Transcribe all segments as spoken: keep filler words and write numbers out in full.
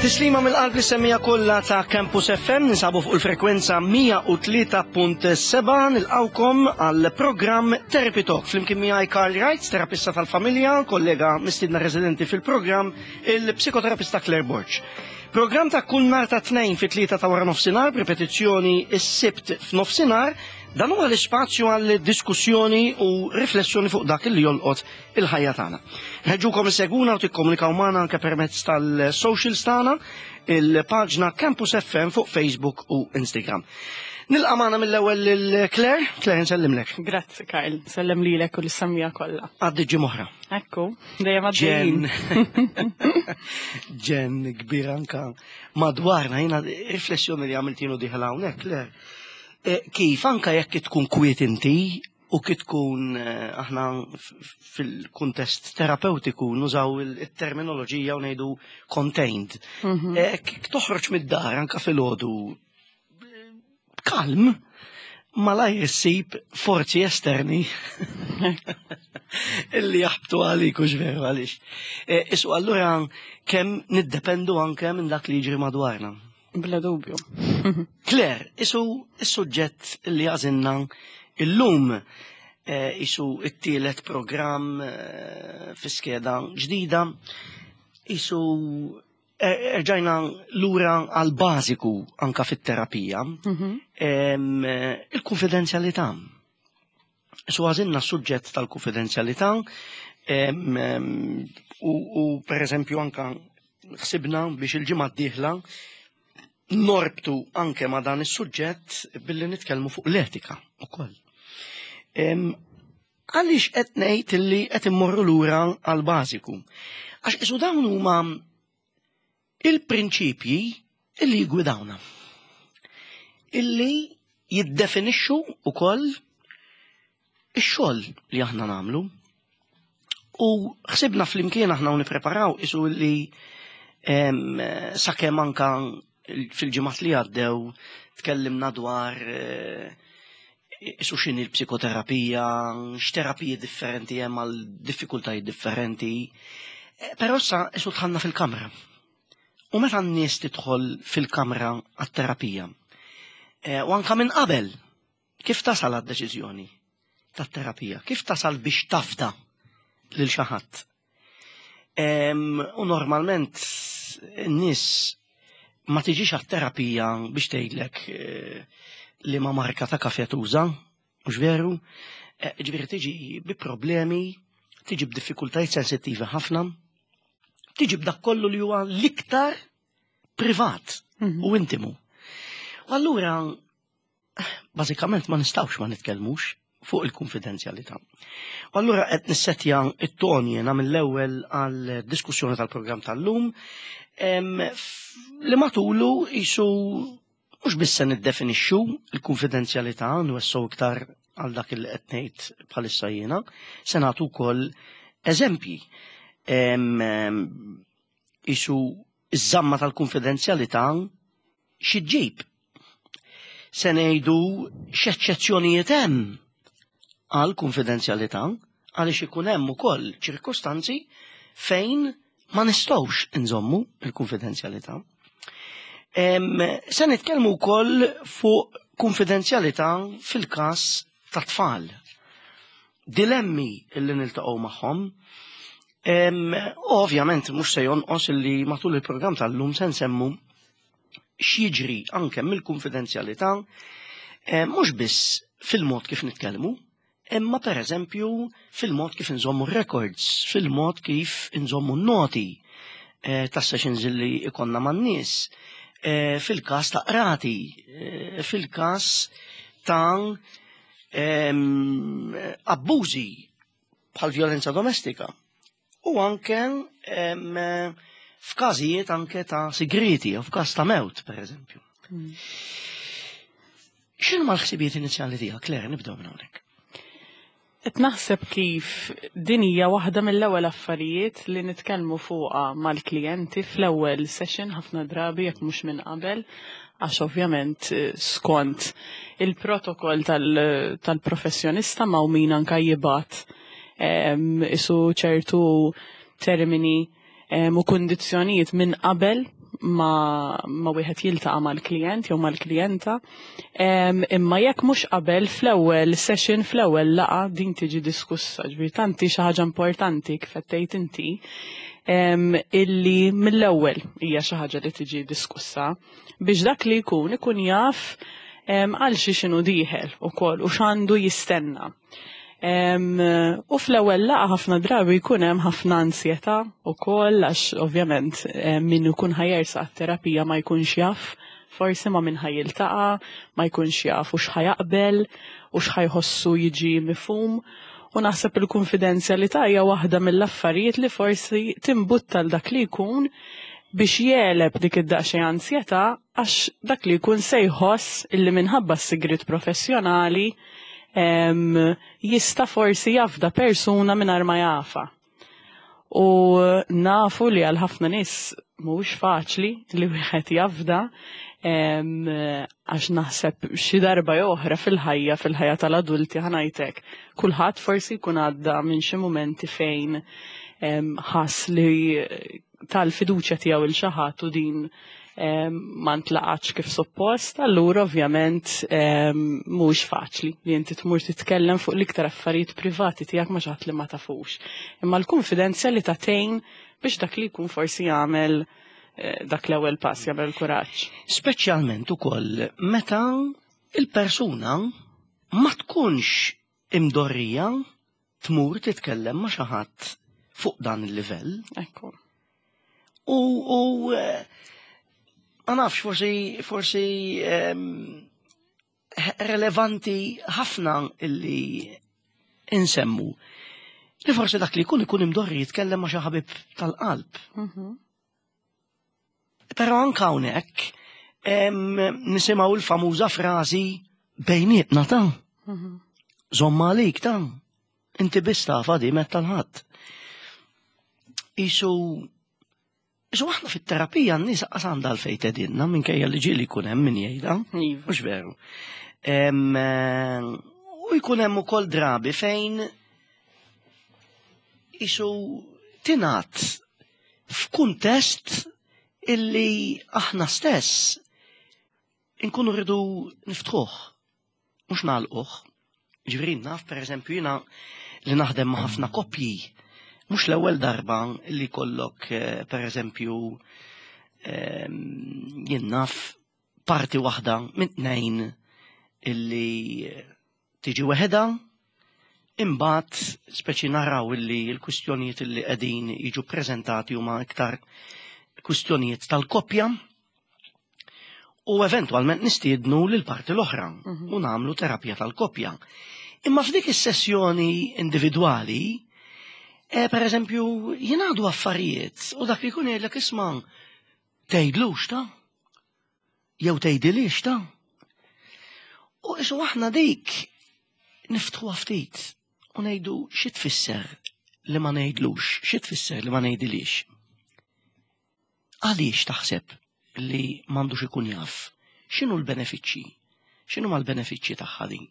Tislima mill-qalb lis-semmiegħa kollha ta' Campus F M, ninsabu fuq il-frekwenza mija u tlieta punt sebgħa, nilqgħukom għal programm Therapy Talk. Flimkien miegħi Karl Wright, terapista tal-familja, kollega mistidna residenti fil-programm, il-psikoterapista Claire Borg. Programm ta' kull nhar ta' Tnejn fi tlieta ta' wara nofsinhar, ripetizzjoni is-Sibt f'nofsinhar, dan huwa l-ispazju għal diskussjoni u riflessjoni fuq dak li jolqot il-ħajja tagħna. Nħeġġukom issegwuna u tikkomunikaw magħna anke permezz tal-socials tagħna, il-paġna Campus F M fuq Facebook u Instagram. Nilqa' magħna mill-ewwel lil Claire. Claire, nsellimlek. Grazzi, Karl, sellem lilek u lis-semmiegħa kollha. Għaddi ġimgħa. Ekku, dejjem għaddejjin. Ġen. Ġen kbir anka madwarna, jiena riflessjoni li għamilt jien u dieħel hawnhekk, Claire. E, kif anka jekk tkun kwiet inti u kif tkun eh, aħna fil-kuntest terapeutiku nużaw il-terminoloġija u ngħidu contained. Mhm. E, Kif toħroġ mid-dar anka filgħodu kalm, malajr issib forzi esterni illi jaħbtu għalik, u veru għalix. E, Isu allura kemm niddependu anke minn dak li jiġri madwarna. Bla dubju. Claire, isu is-suġġett li għażilna illum, eh, isu it-tielet programm eh, fi skeda ġdida, isu eh, erġajna lura għal bażiku anka fit-terapija, Mhm. em, eh, il-konfidenzjalità. Isu għażilna s-suġġett tal-konfidenzjalità em, em, u, u per eżempju anka ħsibna biex il-ġimgħa d-dieħla norbtu anke ma' dan is-suġġett billi nitkellmu fuq l-etika ukoll. Em, Għaliex qed ngħid illi qed immorru lura għal bażiku? Għax isu dawn huma il-prinċipji illi jgwidawna. Illi jiddefinixxu ukoll ix-xogħol li aħna nagħmlu. U ħsibna flimkien aħna u nippreparaw isu li em, sakemm anka fil-ġimgħat li għaddew tkellimna dwar eh, isu x'inhi l-psikoterapija, x'terapiji differenti hemm għal diffikultajiet differenti. Eh, Però issa isu dħalna fil-kamra. U meta n-nies tidħol fil-kamra għat-terapija, eh, u anka minn qabel, kif tasal għad-deċiżjoni tat-terapija? Kif tasal biex tafda lil xi ħadd? Em, U normalment n-nies ma tiġix għat-terapija biex tgħidlek eh, li ma marka ta' kafe tuża, mhux veru? Eh, Ġifieri tiġi bi problemi, tiġi b'diffikultajiet sensittivi ħafna, tiġi b'dak kollu li huwa l-iktar privat Mhm. u intimu. U allura, bażikament ma nistgħux ma nitkellmux fuq il-konfidenzjalità. U allura qed nissetja it-ton jiena mill-ewwel għal diskussjoni tal-programm tal-lum em, f- li matulu isu mhux biss se niddefinixxu il-konfidenzjalità, nwessgħu iktar għal dak li qed ngħid bħalissa jiena, se nagħtu wkoll eżempji. Em, em, Isu iż-żamma tal-konfidenzjalità xi ġġib. Se ngħidu x'eċċezzjonijiet hemm għal konfidenzjalità, għaliex ikun hemm ukoll ċirkostanzi fejn ma nistgħux inżommu il-konfidenzjalità. Em, Se nitkellmu wkoll fuq konfidenzjalità fil-każ ta' tfal. Dilemmi illi niltaqgħu magħhom. Em, u ovvjament mhux se jonqos illi matul il-programm tal-lum se nsemmu x'jiġri anke mill-konfidenzjalità, eh, mhux biss fil-mod kif nitkellmu, imma per eżempju fil-mod kif inżommu records, fil-mod kif inżommu noti eh, ta' sessions li ikonna man-nies, eh, fil-każ ta' qrati, eh, fil-każ ta' em, abbużi bħal violenza domestika u anke em, f'każijiet anke ta' sigriti u f'każ ta' mewt, per eżempju. Mm. X'inhu l-ħsibijiet inizjali tiegħek, Claire, nibdew minn hawnhekk? Qed naħseb kif din hija waħda mill-ewwel affarijiet li nitkellmu fuqha mal-klijenti fl-ewwel session ħafna drabi, jekk mhux minn qabel, għax ovvjament eh, skont il-protokoll tal- tal-professjonista ma' min anka jibgħat em, isu ċertu termini em, u kundizzjonijiet minn qabel ma, ma wieħed jiltaqa' mal-klijent jew mal-klijenta. Imma jekk mhux qabel fl-ewwel session, fl-ewwel laqgħa din tiġi diskussa, ġifieri tanti xi ħaġa importanti kif qed tgħid inti illi mill-ewwel hija xi ħaġa li tiġi diskussa biex dak li jkun ikun jaf għal xi x'inhu dieħel ukoll u x'għandu jistenna. U fl-ewwel laqgħa ħafna drabi jkun hemm ħafna ansjetà ukoll għax ovvjament min ikun ħa jersaq terapija ma jkunx jaf forsi ma' min ħa jiltaqa', ma jkunx jaf u x'ħa jaqbel u x'ħa jħossu jiġi mifhum. U naħseb il-konfidenzjalità hija waħda mill-affarijiet li forsi timbutta l dak li jkun biex jegħleb dik id-daqsxejn ansjetà għax dak li jkun se jħoss illi minħabba s-sigriet professjonali jista' forsi jafda persuna mingħajr ma jafha. U nafu li għal ħafna nies mhuwiex faċli li wieħed jafda għax naħseb xi darba oħra fil-ħajja, fil-ħajja tal-adulti ħa ngħidlek. Kulħadd forsi jkun għadda minn xi mumenti fejn ħass li tal-fiduċja tiegħu il xi ħadd u din ma ntlaqatx kif suppost, allura ovvjament mhux faċli li inti tmur titkellem fuq l-iktar affarijiet privati tiegħek ma' xi ħadd li ma tafux. Imma l-konfidenzjalità tgħin biex dak li jkun forsi jagħmel eh, dak l-ewwel pass, jagħmel kuraġġ. Speċjalment ukoll meta il-persuna ma tkunx imdorrija tmur titkellem ma' xi ħadd fuq dan il-livell. Ekku. U, u eh, ma nafx, forsi, forsi em, relevanti ħafna illi insemmu. Li forsi dak li jkun ikun imdorri jitkellem ma' xi ħabib tal-qalb. Mhm. Però anka hawnhekk em, nisimgħu l-famuża frażi "bejnietna ta', Mhm. żomm għalik ta', inti biss tafha di metta l-ħadd". Isu Isu aħna fit-terapija n-nies qas għandha għalfejn tgħidilna, minkejja li ġieli jkun hemm min jgħidha. Iva. Mhux veru. Em, eh, U jkun hemm ukoll drabi fejn isu tingħad f'kuntest illi aħna stess inkunu rridu niftħuh, mhux nagħlquh. Ġifieri naf, pereżempju, jiena li naħdem ma' ħafna koppji, mhux l-ewwel darba li kollok, eh, pereżempju, ehm, jien naf parti waħda minn tnejn illi tiġi weħeda, imbagħad speċi naraw illi l-kwistjonijiet illi qegħdin jiġu preżentati huma iktar kwistjonijiet tal-koppja u eventwalment nistiednu lil parti l-oħra u nagħmlu terapija tal-koppja. Imma f'dik is-sessjoni individwali, eh, per eżempju, jingħadu affarijiet u dak li jkun jgħidlek, "Isma', tgħidlux ta', jew tgħidilix ta'". U isu aħna dik niftħu ftit u ngħidu xi tfisser li ma ngħidlux, xi tfisser li ma ngħidilix. Għaliex taħseb li m'għandux ikun jaf? X'inhu l-benefiċċji? X'inhu ma l-benefiċċji tagħha din?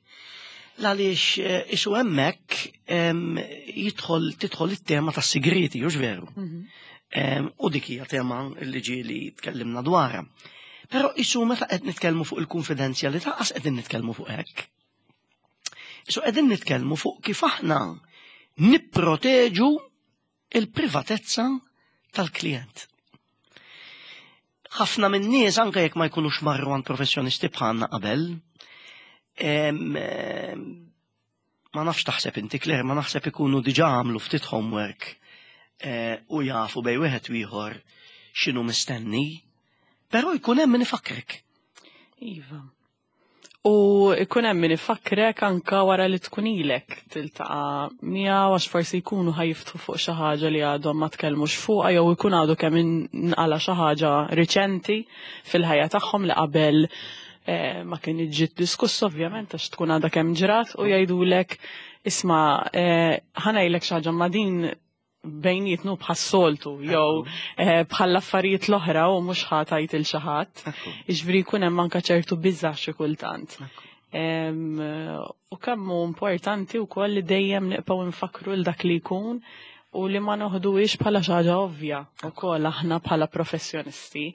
Għaliex eh, isu hemmhekk em, jidħol tidħol it-tema tas-sigriti, hux veru? Mhm. Em, U dik hija tema li ġieli tkellimna dwarha. Però isu meta qed nitkellmu fuq il-konfidenzjalità qas qegħdin nitkellmu fuq hekk. Isu qegħdin nitkellmu fuq kif aħna nipproteġu il-privatezza tal-klient. Ħafna minn nies, anke jekk ma jkunux marru għand professjonisti bħalna qabel, em, em, ma nafx taħseb inti, Claire, ma naħseb ikunu diġà għamlu ftit homework eh, u jafu bejn wieħed u ieħor x'inhu mistenni, però jkun hemm min ifakrek. Iva. U ikun hemm min ifakrek anka wara li tkun ilek tiltaqa' miegħu, għax forsi jkunu ħa jiftħu fuq xi ħaġa li għadhom ma tkellmux fuqha jew ikun għadu kemm inqala xi ħaġa riċenti fil-ħajja tagħhom li qabel eh, ma kien ġiet diskuss, ovvjament għax tkun għadha kemm ġrat, u jgħidulek, "Isma', eh, ħa ngħidlek xi ħaġa, ma din bejnietna bħas-soltu jew eh, bħall-affarijiet l-oħra u mhux ħa tgħid il xi ħadd". Jiġifieri jkun hemm anke ċertu biża' xi kultant. Em, U kemm hu importanti wkoll li dejjem nibqgħu nfakru l dak li jkun U li ma noħduhiex bħala xi ħaġa ovvja wkoll aħna bħala professjonisti.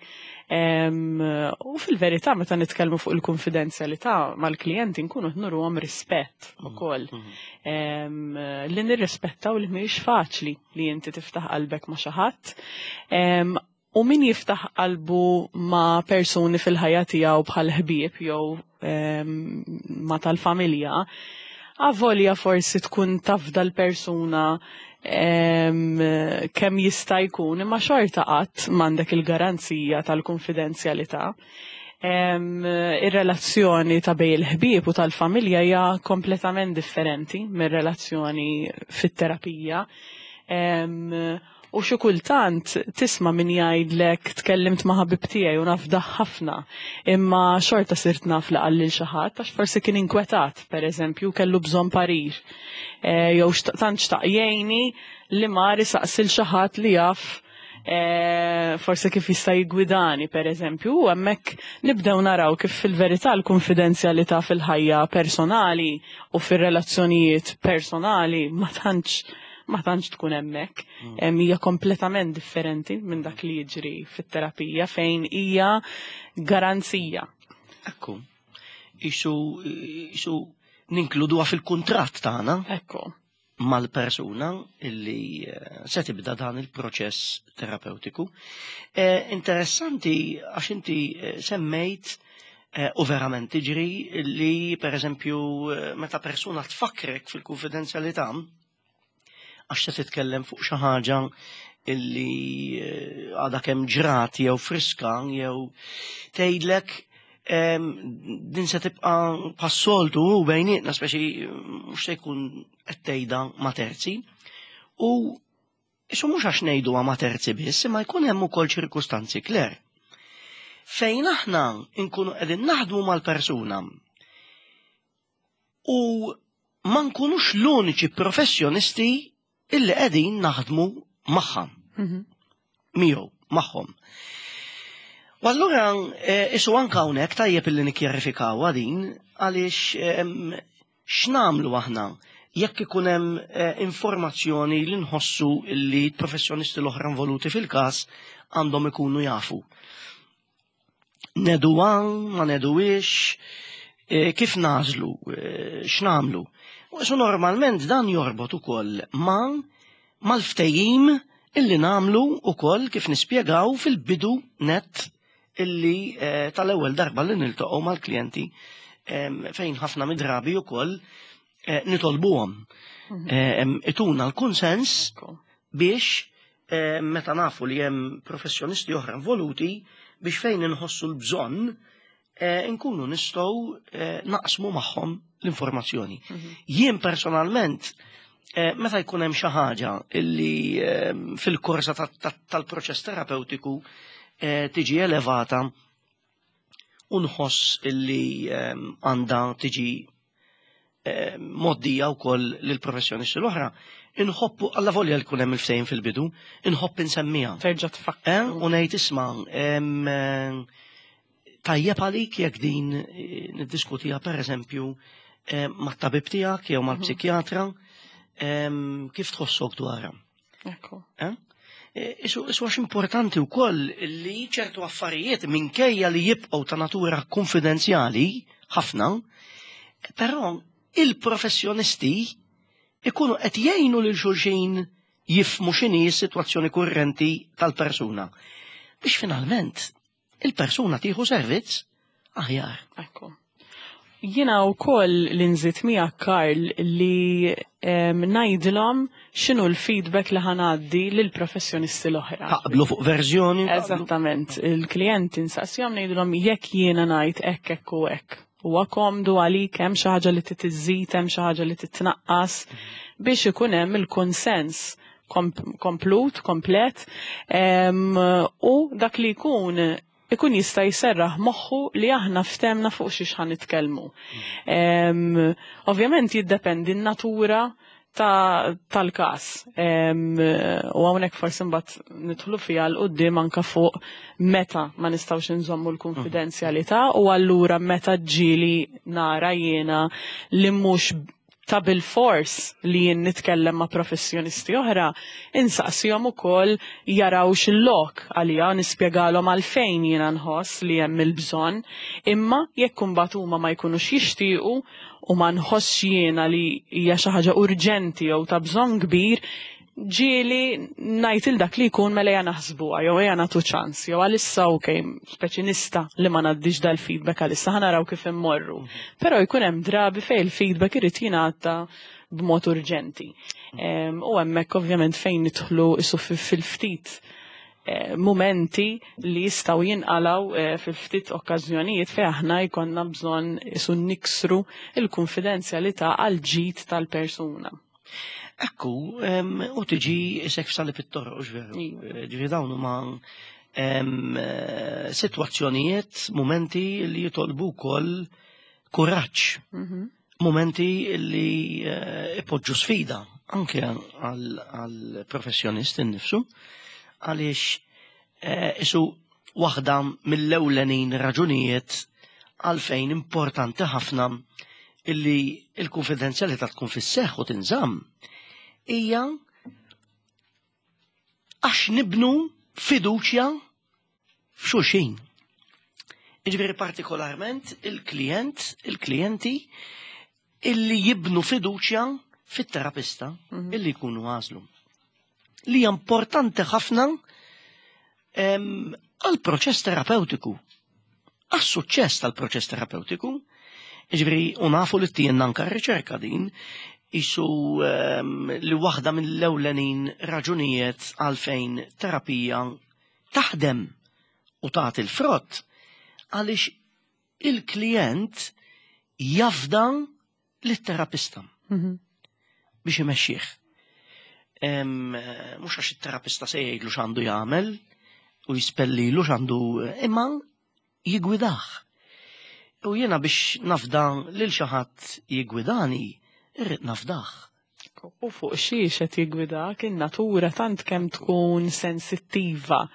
Em, U fil-verità, meta nitkellmu fuq il-konfidenzjalità mal-klijenti, nkunu nuruhom rispett ukoll. Em, Li nirrispettaw li mhijiex faċli li inti tiftaħ qalbek ma' xi ħadd. Em, U min jiftaħ qalbu ma' persuni fil-ħajja tiegħu bħal ħbieb jew em, ma' tal-familja, avolja forsi tkun tafda l-persuna em, kemm jista' jkun, imma xorta qatt m'għandek il-garanzija tal-konfidenzjalità. Em, Ir-relazzjoni ta' bejn il-ħbieb u tal-familja hija kompletament differenti mir-relazzjoni fit-terapija. Em, U xi kultant tisma' min jgħidlek, "Tkellimt ma' ħabib tiegħi u nafdah ħafna, imma xorta sirt naf li qal lil xi ħadd għax forsi kien inkwetat, pereżempju, kellu bżonn parir. E, jew tant xtaq jgħinni li mar isaqsi lil xi ħadd li jaf e, forsi kif jista' jiggwidani, pereżempju, u hemmhekk nibdew naraw kif fil-verità l-konfidenzjalità fil-ħajja personali u fir-relazzjonijiet personali ma tantx ma tantx tkun hemmhekk. Mm. Hija kompletament differenti minn dak li jiġri fit-terapija, fejn hija garanzija. Ekku. Isu, isu ninkluduha fil-kuntratt tagħna. Ekku. Mal-persuna illi eh, se tibda dan il-proċess terapeutiku. Eh, interessanti għax inti eh, semmejt eh, u verament tiġri li, per eżempju, meta persuna tfakrek fil-konfidenzjalità għax se titkellem fuq xi ħaġa illi għadha kemm ġrat jew friska, jew tgħidlek, "Din se tibqa' bħas-soltu u bejnietna, speċi mhux se jkun qed tgħidha ma' terzi." U isu mhux għax ngħiduha ma' terzi biss, imma jkun hemm ukoll ċirkustanzi, Claire, fejn aħna nkunu qegħdin naħdmu mal-persuna u ma nkunux l-uniċi professjonisti illi qegħdin naħdmu magħha. Mhm. Miegħu, magħhom. U allura eh, isu anka hawnhekk tajjeb illi nikkjarifikaw din, għaliex x'nagħmlu aħna jekk ikun hemm eh, informazzjoni li nħossu li professjonisti l-oħra involuti fil-każ għandhom ikunu jafu? Ngħiduha, ma ngħiduhiex, eh, kif nagħżlu, x'nagħmlu? U normalment dan jorbot ukoll ma' mal-ftehim illi nagħmlu ukoll, kif nispjegaw fil-bidu net illi eh, tal-ewwel darba li niltaqgħu mal-klijenti, em, fejn ħafna mid-drabi ukoll eh, nitolbuhom Em, ituna l-konsens Ekku. biex eh, meta nafu li hemm professjonisti oħra involuti, biex fejn inħossu l-bżonn eh, nkunu nistgħu eh, naqsmu magħhom l-informazzjoni. Jien personalment, eh, meta jkun hemm xi ħaġa illi eh, fil-korsa ta- ta- tal-proċess terapeutiku eh, tiġi elevata u nħoss illi eh, għandha tiġi eh, mgħoddija wkoll lill-professjonisti l-oħra, inħobbu, alla volja li jkun hemm il-ftehim fil-bidu, inħobb insemmiha. Terġa' tfakkar. Eh, u ngħid, "Isma', em, eh, tajjeb għalik jekk din eh, niddiskutiha, pereżempju, eh, mat-tabib tiegħek jew mal-psikjatra, em, kif tħossok dwarha?" Ekku. Eh? Eh, Isu isu għax importanti wkoll li ċertu affarijiet, minkejja li jibqgħu ta' natura konfidenzjali ħafna, però il-professjonisti ikunu qed jgħinu lil xulxin jifhmu x'inhi s-sitwazzjoni kurrenti tal-persuna, biex finalment il-persuna tieħu servizz aħjar. Ekku. Jiena wkoll li nżid miegħek, Karl, li em, ngħidilhom x'inhu l-feedback li ħa ngħaddi lill-professjonisti l-oħra. Taqblu fuq verżjoni. Taqblu. Eżattament, il-klijenti nsaqsihom, ngħidilhom, "Jekk jiena ngħid hekk, hekk u hekk, huwa komdu għalik? Hemm xi ħaġa li trid iżżid, hemm xi ħaġa li titnaqqas?" biex ikun hemm il-konsens kom- komplut, komplet, em, u dak li jkun ikun jista' jserraħ moħħu li aħna ftemna fuq xiex ħa nitkellmu. Em, Ovvjament jiddependi n-natura ta' tal-kas. Em, U hawnhekk forsi mbagħad nidħlu fiha 'l quddiem anka fuq meta ma nistgħux inżommu l-konfidenzjalità u allura meta ġieli nara jiena li mhux ta' bil-fors li jien nitkellem ma' professjonisti oħra, insaqsihom ukoll jaraw x'il-lok għalija, nispjegalhom għalfejn jiena nħoss li hemm il-bżonn, imma jekk imbagħad huma ma jkunux jixtiequ u ma nħossx jiena li hija xi ħaġa urġenti jew ta' bżonn kbir, ġieli ngħid il dak li jkun mela ejja naħsbuha jew ejja nagħtu ċans jew għalissa okej, speċi nista' li ma ngħaddix dal-feedback għalissa, ħa naraw kif immorru. Però jkun hemm drabi fejn il-feedback irid jingħata b'mod urġenti. U hemmhekk ovvjament fejn nidħlu isu fil-ftit eh, momenti li jistgħu jinqalaw eh, fil-ftit okkażjonijiet fejn aħna jkollna bżonn isu niksru il-konfidenzjalità għal ġid tal-persuna. Ekku, u tiġi isek f'salib it-toroq, veru. Iva. Ġifieri dawn huma em, eh, sitwazzjonijiet, momenti li jitolbu wkoll kuraġġ, Mhm. momenti li eh, ipoġġu sfida anke għal professjonist innifsu, għaliex eh, isu waħda mill-ewlenin raġunijiet għalfejn importanti ħafna illi il-konfidenzjalità tkun fis-seħħ u tinżamm hija għax nibnu fiduċja f'xulxin. Jiġifieri partikolarment il-klient, il-klijenti illi jibnu fiduċja fit-terapista Mhm. illi jkunu għażlu. Li hija importanti ħafna em, għal proċess terapeutiku, għas-suċċess tal-proċess terapeutiku. Ġifieri, u nafu li t anka r-riċerka din, isu em, li waħda mill-ewlenin raġunijiet għalfejn terapija taħdem u tagħti l-frott għaliex il-klient jafda lit-terapista Mhm. biex imexxih. Em, eh, Mhux għax it-terapista se jgħidlu x'għandu jagħmel u jispellilu x'għandu, imma jiggwidah. U jiena biex nafda lil xi ħadd jiggwidani, irrid nafdah. U fuq xiex qed jiggwidak, in-natura tant kemm tkun sensittiva.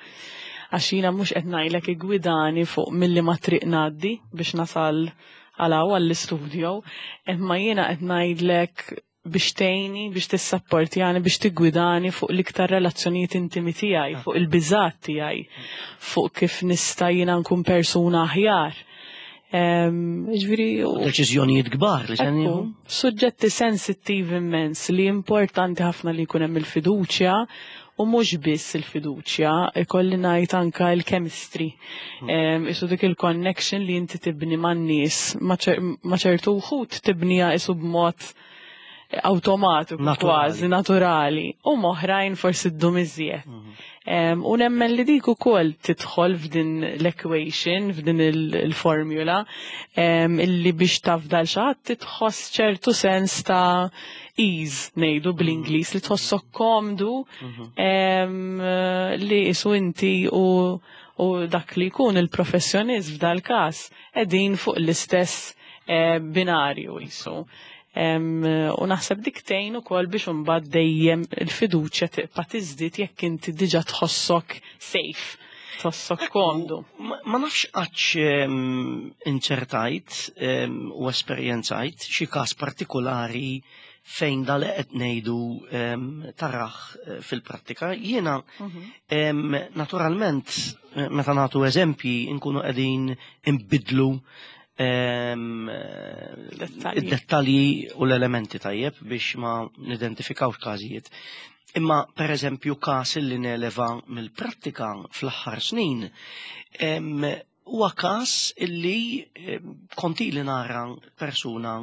Għax jiena mhux qed ngħidlek iggwidani fuq milli ma triq ngħaddi biex nasal għal hawn għall-istudio, imma jiena qed ngħidlek biex tgħinni, biex tissapportjani, biex tiggwidani fuq l-iktar relazzjonijiet intimi tiegħi, fuq il-biżat tiegħi, fuq kif nista' jiena nkun persuna aħjar. Em, Ġifieri, u- Deċiżjonijiet kbar li se Ekku, nieħu. suġġetti sensittivi immens li importanti ħafna li jkun hemm il-fiduċja u mhux biss il-fiduċja, ikolli ngħid anka il-chemistry. Em, Isu dik il-connection li inti tibni man-nies, ma ċer- ma ċertu wħud tibnija isu b'mod automatiku Naturali. kważi naturali u m'oħrajn forsi ddum iżjed. Em, U nemmen li dik ukoll tidħol f'din l-equation, f'din il- il-formula, em, illi biex tafdal xi ħadd titħoss ċertu sens ta' ease ngħidu bl-Ingliż li tħossok komdu em, li isu inti u, u dak li jkun il-professjonist f'dal każ qegħdin fuq l-istess eh, binarju jisu. Em, u naħseb dik tgħin ukoll biex imbagħad dejjem il-fiduċja tibqa' tiżdied jekk inti diġà tħossok safe, tħossok komdu. Ma ma nafx għax em, inċertajt em, u esperjenzajt xi każ partikolari fejn dal qed ngħidu em, taraħ eh, fil-prattika. Jiena em, naturalment eh, meta nagħtu eżempji nkunu qegħdin imbidlu em, eh, Dettalji. id-dettalji u l-elementi tajjeb biex ma nidentifikawx każijiet. Imma per eżempju każ li neleva mill-prattika fl-aħħar snin em, huwa każ illi em, konti li nara persuna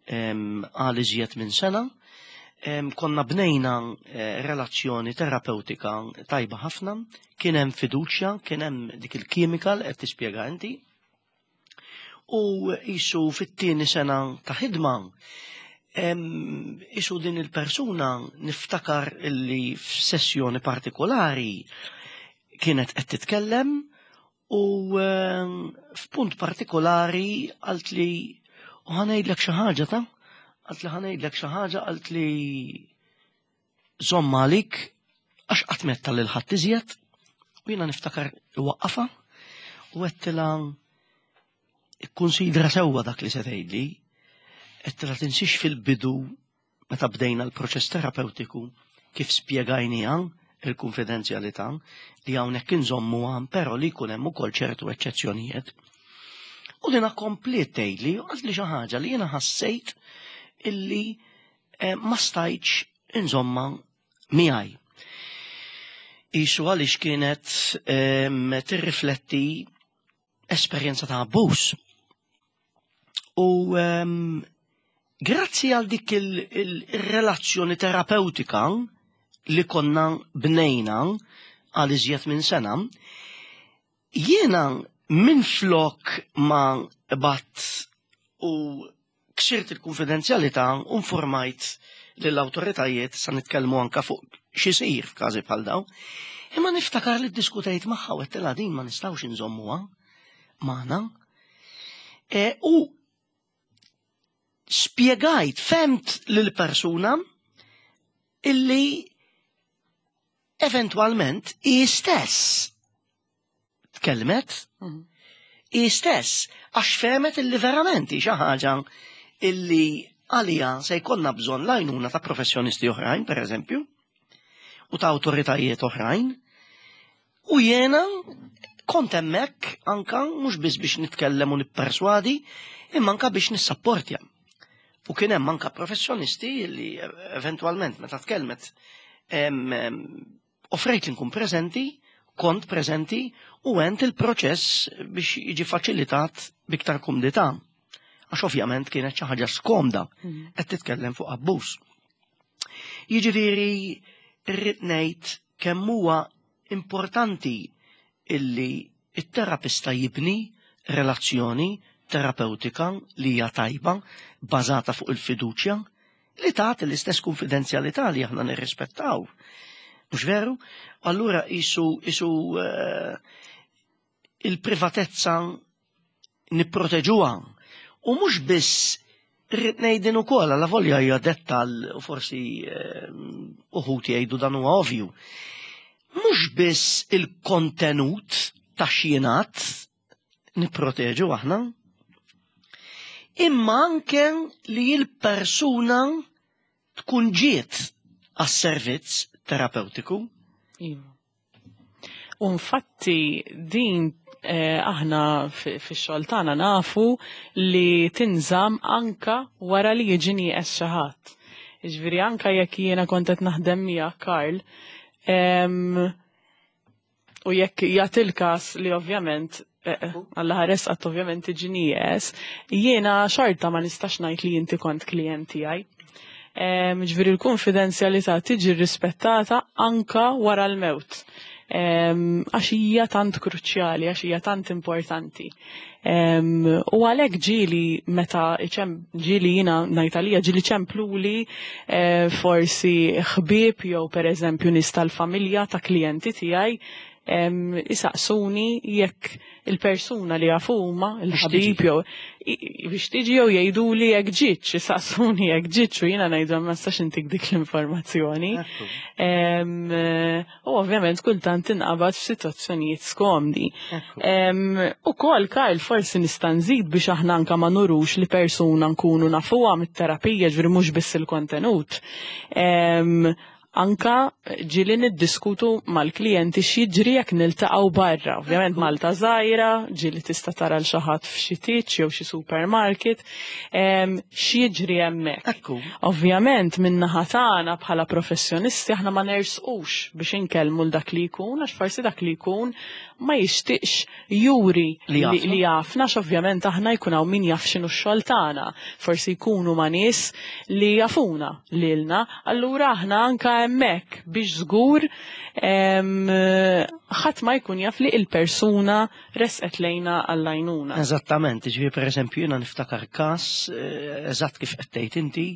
em, għal iżjed minn sena, em, konna bnejna eh, relazzjoni terapeutika tajba ħafna, kien hemm fiduċja, kien hemm dik il-kimika li qed tispjega inti. U isu fit-tieni sena ta' ħidma, em, isu din il-persuna niftakar illi f'sessjoni partikolari kienet qed titkellem u em, f'punt partikolari qalt li u ħa ngħidlek xi ħaġa ta' qalt li ħa ngħidlek xi ħaġa, qalt li żomm għalik għax qatt m'għedtha lil ħadd iżjed, u jiena niftakar waqqafa u għedtilha ikkunsidra sewwa dak li se tgħidli. Għedtilha tinsiex fil-bidu meta bdejna l-proċess terapeutiku kif spjegajniha il-konfidenzjalità li hawnhekk inżommuha però li jkun hemm ukoll ċertu eċċezzjonijiet. U dina kompliet tgħidli u qaltli xi ħaġa li jiena ħassejt illi eh, ma stajtx inżomma miegħi. Isu għaliex kienet em, tirrifletti esperjenza ta' abbuż. U em, grazzi għal dik il-relazzjoni terapeutika li konna bnejna għal iżjed minn sena, jiena minn flok ma bgħatt u ksirt il-konfidenzjalità u informajt lill-awtoritajiet sa nitkellmu anka fuq x'isir f'każi bħal dawn. Imma niftakar li ddiskutejt magħha u għedtilha din ma nistgħux inżommuha magħna. E, u spjegajt, fhemt lill-persuna illi eventwalment hi stess tkellmet, Mhm. hi stess, għax fehmet illi verament hi xi ħaġa illi għalija se jkollna bżonn l-għajnuna ta' professjonisti oħrajn, per eżempju, u ta' awtoritajiet oħrajn, u jiena kont hemmhekk anka mhux biss biex nitkellem u nipperswadi, imma anka biex nissapportja. U kien hemm anka professjonisti li eventwalment meta tkellmet em, em, offrejt li nkun preżenti, kont preżenti u għent il-proċess biex jiġi faċilitat b'iktar kumdità. Għax ovvjament kienet xi ħaġa skomda Mhm. qed titkellem fuq abbuż. Jiġifieri rrid ngħid kemm huwa importanti illi it-terapista jibni relazzjoni terapeutika li hija tajba, bażata fuq il-fiduċja, li tagħti l-istess konfidenzjalità li aħna nirrispettaw. Mhux veru? Allura isu isu eh, il-privatezza nipproteġuha. U mhux biss rrid ngħidin ukoll għala volja hija dettal u forsi eh, uħud jgħidu dan huwa ovvju. Mhux biss il-kontenut ta' xjenat nipproteġu aħna, imma anke li l-persuna tkun ġiet għas-servizz terapeutiku. Iva. U infatti din eh, aħna fix-xogħol tagħna nafu li tinżamm anka wara li jiġi nieqes xi ħadd. Jiġifieri anka jekk jiena kont qed naħdem miegħek Karl, em, u jekk jagħti l-każ li ovvjament eh, eh, Alla ħares qatt ovvjament tiġi nieqes, jiena xorta ma nistax ngħid li inti kont klient tiegħi. Em, Ġifieri l-konfidenzjalità tiġi rispettata anka wara l-mewt. Em, Għax hija tant kruċjali, għax hija tant importanti. Em, U għalhekk ġieli meta iċem ġieli jiena ngħid għalija ġieli ċempluli eh, forsi ħbieb jew pereżempju nies tal-familja ta' klijenti tiegħi em, isaqsuni jekk il-persuna li jafu huma il-ħabib jew i- i- biex tiġi jew jgħiduli jekk ġietx, isaqsuni jekk ġietx u jiena ngħidu ma nistax intik dik l-informazzjoni. Em, eh, U ovvjament kultant tinqabad f'sitwazzjonijiet skomdi. Em, U kol, Karl, forsi nista' nżid biex aħna anka ma nurux li persuna nkunu nafuha mit-terapija, ġifieri mhux biss il-kontenut. Em, Anka ġieli niddiskutu mal-klijenti x'jiġri jekk niltaqgħu barra. Ovvjament Malta żgħira, ġieli tista' tara l xi ħadd f'xi titx jew xi supermarket, em, x'jiġri hemmhekk. Ekku. Ovvjament min-naħa tagħna bħala professjonisti aħna ma nersqux biex inkellmu l dak li jkun għax forsi dak li jkun ma jixtieqx juri Li jafna. li jafna għax ovvjament aħna jkun hawn min jaf x'inhu x-xogħol tagħna. Forsi jkunu ma' nies li jafuna lilna, allura aħna anka hemmhekk biex żgur em, ħadd ma jkun jaf li il-persuna resqet lejna għall-għajnuna. Eżattament, ġifieri per eżempju jiena niftakar każ, eh, eżatt kif qed tgħid inti,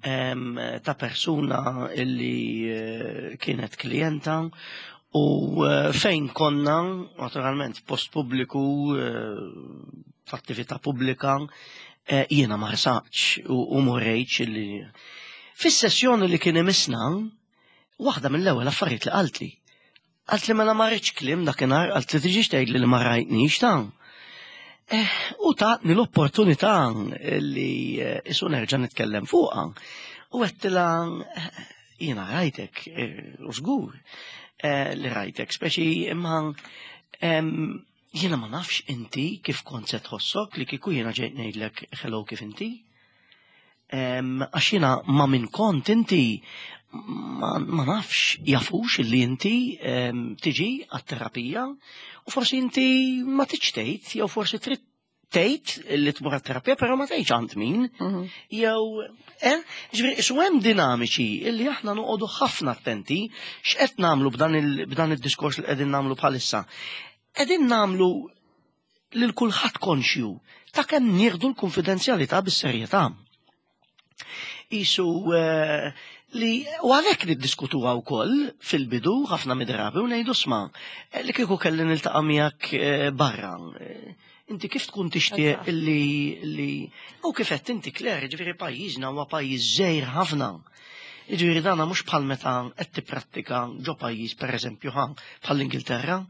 em, ta' persuna illi eh, kienet klijenta u eh, fejn konna, naturalment, f'post pubbliku, eh, f'attività pubblika, eh, jiena ma rsaqtx u, u m'urejtx illi. Fis-sessjoni li kien imissna, waħda mill-ewwel affarijiet li qaltli. Qaltli mela ma rridx kliem dakinhar, qaltli tiġix tgħidli li ma rajtnix ta'. Eh, u tatni l-opportunità li eh, isu nerġa' nitkellem fuqha. U għedtilha eh, jiena rajtek, u żgur li rajtek, speċi imma jiena ma nafx inti kif kont se tħossok li kieku jiena ġejt ngħidlek hello kif inti. Għax jiena ma min kont inti ma, ma nafx jafux li inti tiġi għat-terapija u forsi inti ma tridx tgħid jew forsi trid tgħid li tmur għat-terapija però ma tgħidx għand min. Mhm. Jew eh ġifieri isu hemm dinamiċi illi aħna noqogħdu ħafna attenti x'qed nagħmlu b'dan id-diskors li qegħdin nagħmlu bħalissa. Qegħdin nagħmlu lil kulħadd konxju ta' kemm nieħdu l-konfidenzjalità bis-serjetà. Isu eh, li u għalhekk niddiskutuha wkoll fil-bidu ħafna mid-drabi u ngħidu sma' eh, li kieku kelli niltaqa' miegħek eh, barra. Eh, inti kif tkun tixtieq li li u kif qed inti Claire, ġifieri pajjiżna huwa pajjiż żgħir ħafna. Ġifieri dana mhux bħal meta qed tipprattika ġo pajjiż pereżempju ħa bħall-Ingilterra.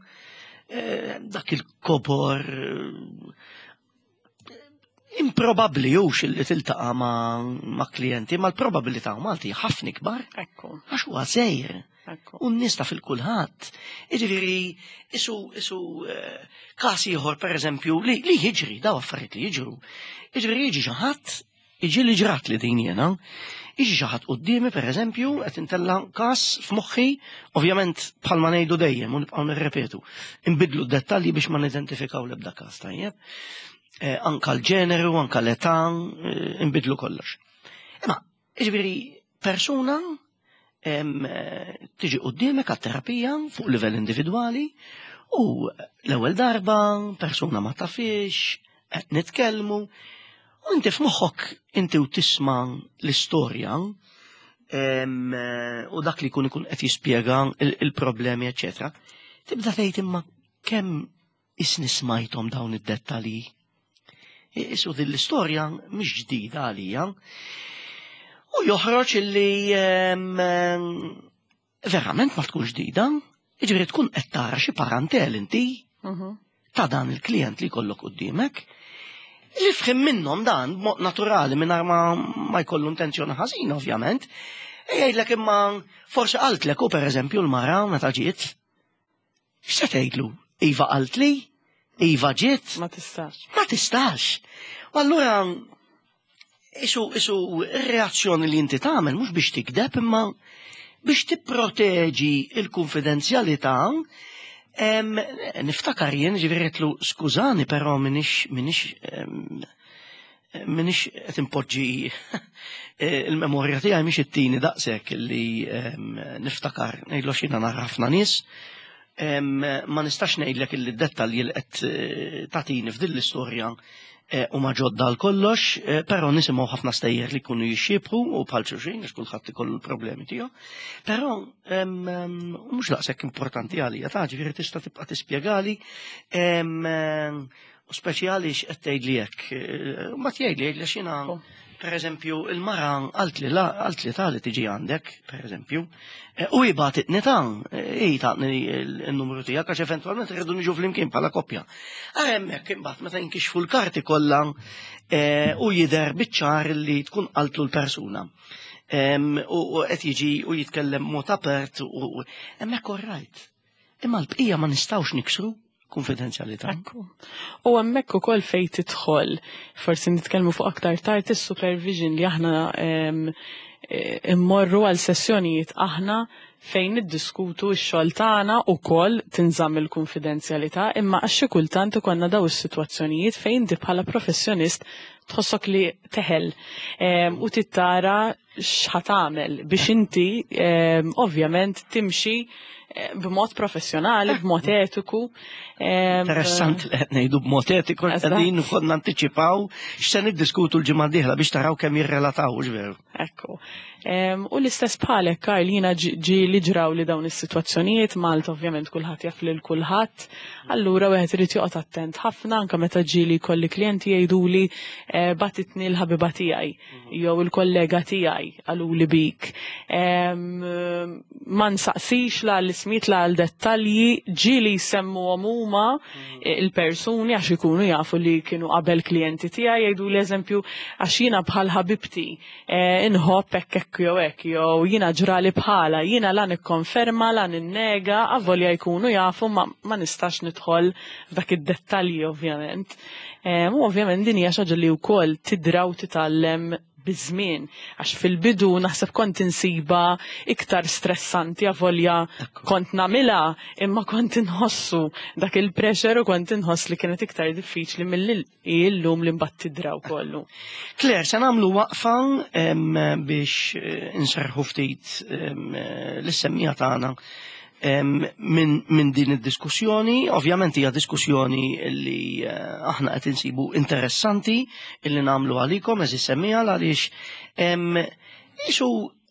Dak il-kobor improbabli jux li tiltaqa ma', ma klijenti, ma l-probabilità Malti ħafna ikbar. Ekku. Għax huwa żgħir. U n-nies taf il-kulħadd. Jiġifieri isu isu eh, każ ieħor pereżempju li li jiġri, daw affarijiet li jiġru. Jiġifieri jiġi xi ħadd, jiġi li ġrat li din jiena, jiġi xi ħadd quddiemi pereżempju qed intella' każ f'moħħi, ovvjament bħalma ngħidu dejjem u nibqgħu nirrepetu. Inbidlu d-dettalji biex ma nidentifikaw l-ebda każ tajjeb. Eh, anka l-ġeneru, anka l-età, eh, inbidlu kollox. Imma, jiġifieri persuna eh, tiġi quddiemek għat-terapija fuq livell individwali u l-ewwel darba persuna ma tafix, qed nitkellmu, u inti f'moħħok inti u tisma' l-istorja u dak li jkun ikun qed jispjega il-problemi, eċċetera. Tibda tgħid imma kemm isni smajthom dawn id-dettalji. Isu din l-istorja mhix ġdida għalija. U joħroġ illi verament ma tkun ġdida, jiġifieri tkun qed tara xi parantel inti mhm. ta' dan il-klient li jkollok quddiemek. Li fħim minnhom dan b'mod naturali mingħajr ma, ma jkollu intenzjoni ħażina ovvjament. E jgħidlek imma forsi qaltlek u pereżempju l-mara meta ġiet. X'se tgħidlu? Iva qaltli? Iva ġiet? Ma tistax. Ma tistax. U allura isu isu ir-reazzjoni li inti tagħmel mhux biex tikdeb imma biex tipproteġi il-konfidenzjalità. Niftakar jien ġifieri għedtlu skużani però minix minix minix qed impoġġi il-memorja tiegħi mhix ittini daqshekk li niftakar ngħidlu x'jiena nara ħafna nies. Ma nistax ngħidlek illi d-dettalji li qed tagħtini f'din l-istorja u ma ġodda għal kollox, però nisimgħu ħafna stejjer li jkunu jixxiebħu u bħal xulxin għax kulħadd ikollu l-problemi tiegħu. Però mhux daqshekk importanti għalija ta' ġifieri tista' tibqa' tispjegali u speċjali x'qed tgħidli hekk. Ma tgħidli jgħidli x'jiena per eżempju, il-mara qaltli la qaltli ta' li tiġi għandek, per eżempju, u hi bagħtitni ta' hi tatni n-numru tiegħek għax eventwalment irridu niġu flimkien bħala koppja. Ara hemmhekk imbagħad meta jinkixfu l-karti kollha u jidher biċ-ċar li tkun qaltlu l-persuna. U qed jiġi u jitkellem mod apert u hemmhekk all right. Imma l-bqija ma nistgħux niksru konfidenzjalità. Ekku. U hemmhekk ukoll fejn tidħol, forsi nitkellmu fuq aktar tard is-supervision li aħna immorru għal sessjonijiet aħna fejn niddiskutu x-xogħol tagħna ukoll tinżamm il-konfidenzjalità, imma għax xi kultant ikollna daw is-sitwazzjonijiet fejn inti bħala professjonist tħossok li teħel u tittara x'ħa tagħmel biex inti ovvjament timxi b'mod professjonali, b'mod etiku. Interessanti li qed ngħidu b'mod etiku, qegħdin ukoll nantiċipaw x'se niddiskutu l-ġimgħa d-dieħla biex taraw kemm jirrelataw, hux veru? Ekku. U l-istess bħalek, Karl, jiena ġi li ġraw li dawn is-sitwazzjonijiet, Malta ovvjament kulħadd jaf lil kulħadd, allura wieħed irid joqgħod attent ħafna anke meta ġieli jkolli klijenti jgħiduli batitni l-ħabiba tiegħi jew il-kollega tiegħi qaluli bik. Ma nsaqsix la ismijiet, la għal dettalji, ġieli jsemmuhom huma il-persuni għax ikunu jafu li kienu qabel klijenti tiegħi, jgħidu l-eżempju għax jiena bħal ħabibti eh, inħobb hekk hekk jew hekk, jew jiena ġrali bħala, jiena la nikkonferma, la ninnega, avolja jkunu jafu ma, ma nistax nidħol f'dak id-dettalji ovvjament. Eh, U ovvjament din hija xi ħaġa li wkoll tidra u titgħallem biż-żmien, għax fil-bidu naħseb kont insiba iktar stressanti, avolja kont nagħmilha, imma kont inħossu dak il-pressure u kont inħoss li kienet iktar diffiċli milli illum li mbagħad tidra kollu. Claire, se nagħmlu waqfa em, biex eh, inserħu ftit em, eh, lis-semmiegħa tagħna em, minn min din id-diskussjoni. Ovvjament hija diskussjoni li eh, aħna qed insibu interessanti illi nagħmlu għalikom, għeżież semmiegħa, għaliex em, isu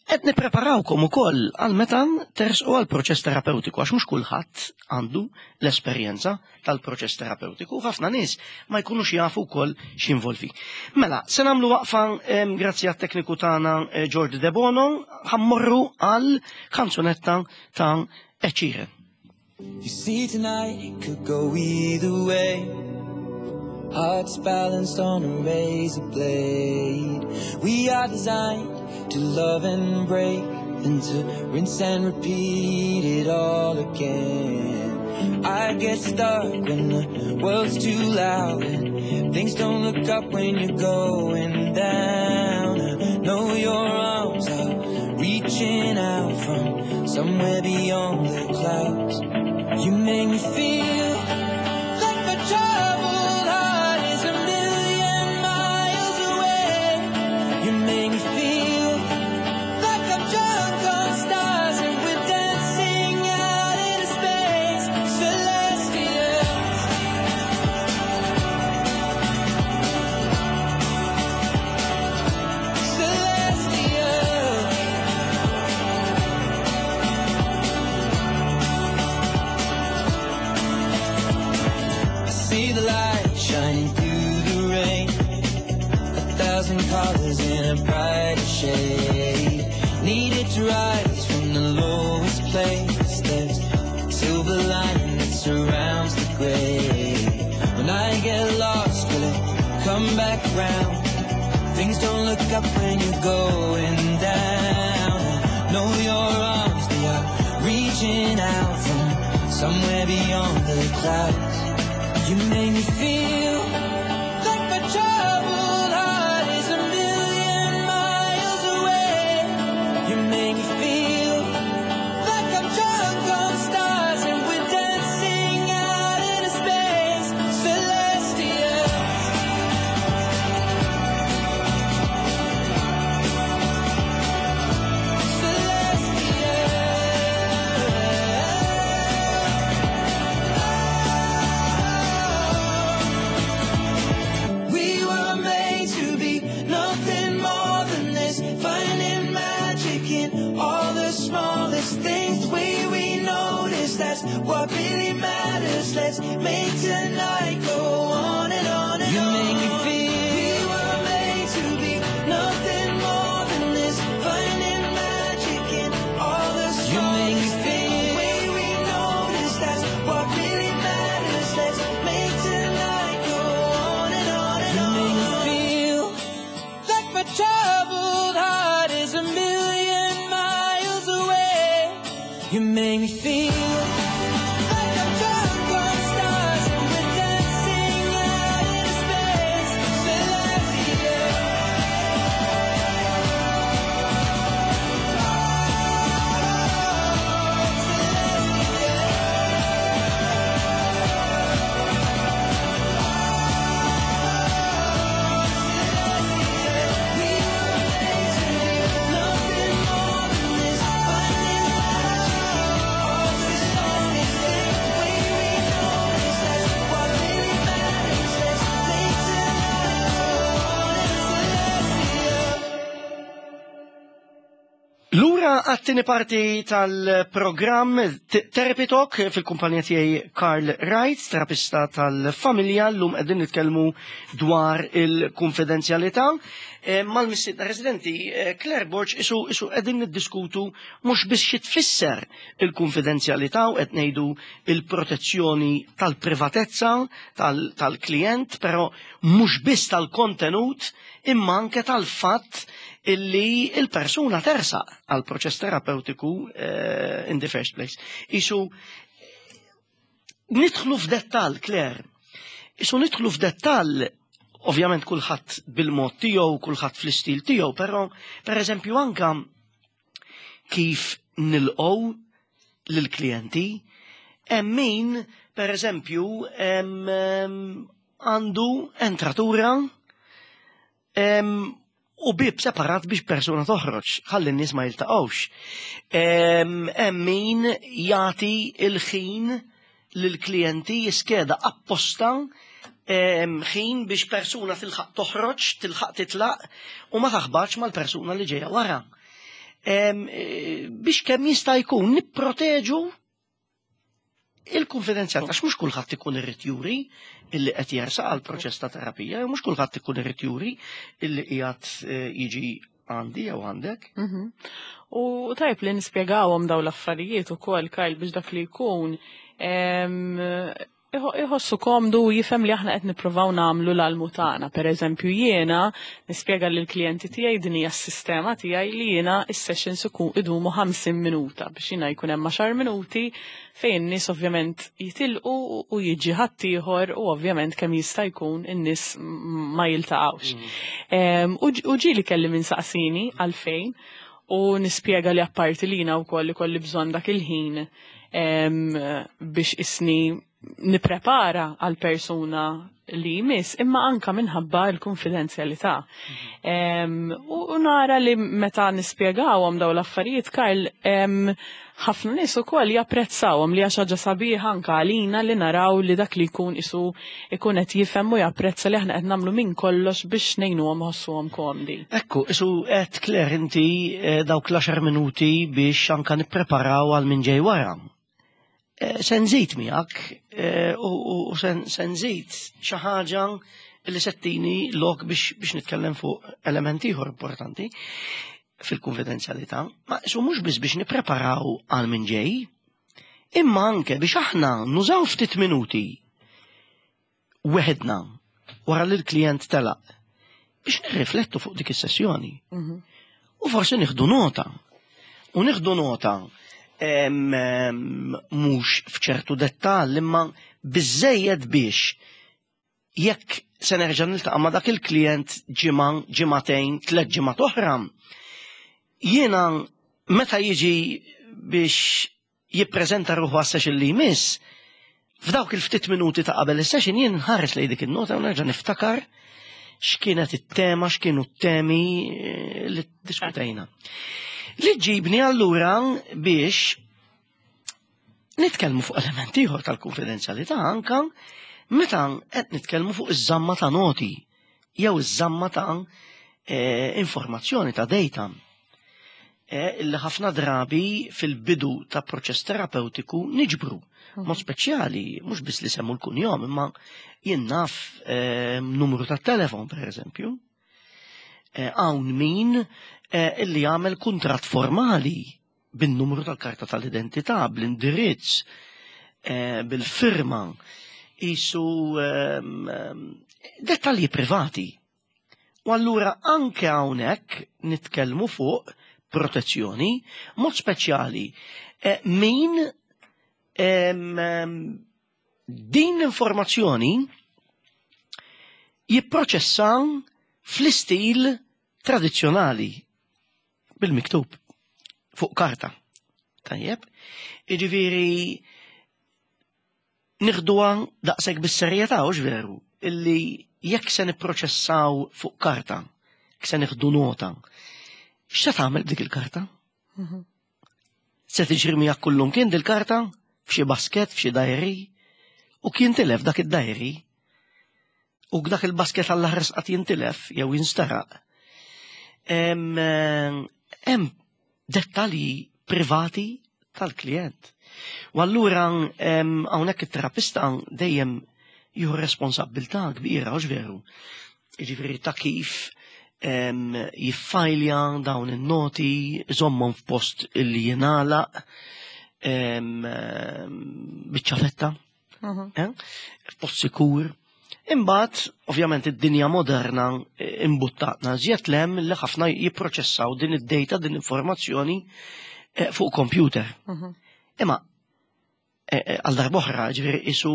qed nippreparawkom ukoll għal meta tersqu għal proċess terapeutiku, għax mhux kulħadd għandu l-esperjenza tal-proċess terapeutiku, ħafna nies ma jkunux jafu wkoll x'involvi. Mela, se nagħmlu waqfa em, grazzi għat-tekniku tagħna eh, George De Bono, ħa mmorru għal kanzunetta ta' Ed Sheeran. You see, tonight it could go either way. Hearts balanced on a razor blade. We are designed to love and break, then to rinse and repeat it all again. I get stuck when the world's too loud and things don't look up when you're going down. I know your arms are reaching out from somewhere beyond the clouds. You make me feel like my troubled heart is a million miles away. You make me feel like I'm drunk on stars and we're dancing out into space, celestial. Celestial. I see the light shining through the rain, a thousand colors in a brighter shade. Needed to rise from the lowest place. There's silver lining that surrounds the gray. When I get lost, will it come back round? Things don't look up when you're going down. I know your arms, they are reaching out from somewhere beyond the clouds. You make me feel like my troubled heart is a million miles away. You make me feel like I'm drunk on stars and we're dancing out into space, celestial. Celestial. We were made to be nothing more than this, finding magic in all the smallest things. The way we notice, that's what really matters. Let's make tonight go on and on and you on. Make me feel we were made to be nothing more than this, finding magic in all the smallest things. The way we notice, that's what really matters. Let's make tonight go on and on and you on. Make me feel like my troubled heart is a million miles away. You make me feel like I'm drunk on stars and we're dancing out into space, celestial. We were made to be nothing more than this, finding magic in all the smallest things. The way we notice, that's what really matters. Let's make tonight go on and celestial. Lura għat-tieni parti tal-programm Therapy Talk fil-kumpanija tiegħi Karl Wright, terapista tal-familja, llum qegħdin nitkellmu dwar il-konfidenzjalità. Eh, Mal-mistiedna residenti, eh, Claire Borg, isu isu qegħdin niddiskutu mhux biss xi tfisser il-konfidenzjalità u qed ngħidu il-protezzjoni tal-privatezza tal- tal-klient, però mhux biss tal-kontenut imma anke tal-fatt illi il-persuna tersaq għal proċess terapeutiku eh, in the first place. Isu nidħlu f'dettall, Claire. Isu nidħlu f'dettall, ovvjament kulħadd bil-mod tiegħu, kulħadd fl-istil tiegħu, però per eżempju anka kif nilqgħu lill-klijenti, hemm min per eżempju em, em, għandu entratura em, u bib separat biex persuna toħroġ, ħalli n-nies ma jiltaqgħux. Em, Hemm min jagħti il-ħin lill-klijenti, jiskeda apposta em, ħin biex persuna tilħaq toħroġ, tilħaq titlaq u ma taħbatx mal-persuna li ġejja wara. Em, eh, biex kemm jista' jkun nipproteġu il-konfidenzjalità, għax mhux kulħadd ikun irid juri illi qed jersaq għal proċess ta' terapija, jew mhux kulħadd ikun irid juri illi qiegħed eh, jiġi għandi jew għandek. Mhm. U tajb li nispjegawhom daw l-affarijiet ukoll, Kyle, biex dak li jkun em, iħo- iħossu komdu u jifhem li aħna qed nippruvaw nagħmlu l-almu tagħna. Per eżempju, jiena nispjega lill-klijenti tiegħi din hija s-sistema tiegħi li jiena is-sessions ikun idumu ħamsin minuta biex jiena jkun hemm għaxar minuti fejn in-nies ovvjament jitilqu u jiġi ħaddieħor u ovvjament kemm jista' jkun in-nies ma jiltaqgħux. Em, U ġ- u ġieli kelli min saqsini għalfejn u nispjega li apparti li jiena wkoll ikolli bżonn dak il-ħin em, biex isni niprepara għal persuna li jmiss, imma anka minħabba l-konfidenzjalità. Em, U u nara li meta nispjegawhom daw l-affarijiet, Karl, em, ħafna nies ukoll japprezzawhom, li għax ħaġa sabiħa anka għalina li naraw li dak li jkun isu ikun qed jifhem u japprezza li aħna qed nagħmlu minn kollox biex ngħinuhom iħossuhom komdi. Ekku, isu qed Claire inti eh, dawk l-għaxar minuti biex anka nippreparaw għal min ġej wara. Eh, Se nżid miegħek eh, u u- u se se nżid xi ħaġa li se ttini lok biex biex nitkellem fuq element ieħor importanti fil-konfidenzjalità, ma isu mhux biss biex nippreparaw għal min ġej, imma anke biex aħna nużaw ftit minuti weħedna wara li l-klient telaq biex nirriflettu fuq dik is-sessjoni. U forsi nieħdu nota. U nieħdu nota em, em, mhux f'ċertu dettall imma biżejjed biex jekk se nerġa' niltaqa' ma' dak il-klient ġimgħa, ġimagħtejn, tliet ġimgħat oħra, jiena meta jiġi biex jippreżenta ruħu għas-session li jmiss, f'dawk il-ftit minuti ta' qabel is-session jien nħares lejn dik in-nota u nerġa' niftakar x'kienet it-tema, x'kienu t-temi eh, li diskutejna. Li ġibni allura biex nitkellmu fuq element ieħor tal-konfidenzjalità anka meta qed nitkellmu fuq iż-żamma ta' noti jew iż-żamma ta' eh, informazzjoni ta' data. Eh, illi ħafna drabi fil-bidu ta' proċess terapeutiku niġbru. Mod speċjali, mhux biss li semmu l-kunjom, imma jien naf eh, numru ta' telefon, per eżempju. Eh, Hawn min eh, illi jagħmel kuntratt formali bin-numru tal-karta tal-identità, bl-indirizz, eh, bil-firma, isu ehm, ehm, dettalji privati. U allura anke hawnhekk nitkellmu fuq protezzjoni, mod speċjali eh, min em, em, din l-informazzjoni jipproċessa fl-istil tradizzjonali bil-miktub fuq karta. Tajjeb, iġifieri nieħduha daqshekk bis-serjetà, hux veru, illi jekk se nipproċessaw fuq karta, jekk se nieħdu nota, x'se tagħmel b'dik il-karta? Se tiġri miegħek kullum kien dil-karta f'xi basket, f'xi diary, u kien tilef dak id-diary, u dak il-basket għall-ħares qatt jintilef jew jinsteraq. Hemm dettalji privati tal-klient. U allura hawnhekk it-terapista dejjem jieħu responsabbiltà kbira, hux veru? Jiġifieri ta' kif jiffajlja dawn in-noti, iżommhom f'post illi jingħalaq biċ-ċavetta, f'post sikur. Imbagħad, ovvjament, id-dinja moderna imbuttatna żjed lem li ħafna jipproċessaw din id-data, din l-informazzjoni fuq computer. Imma għal darb'oħra, ġifieri isu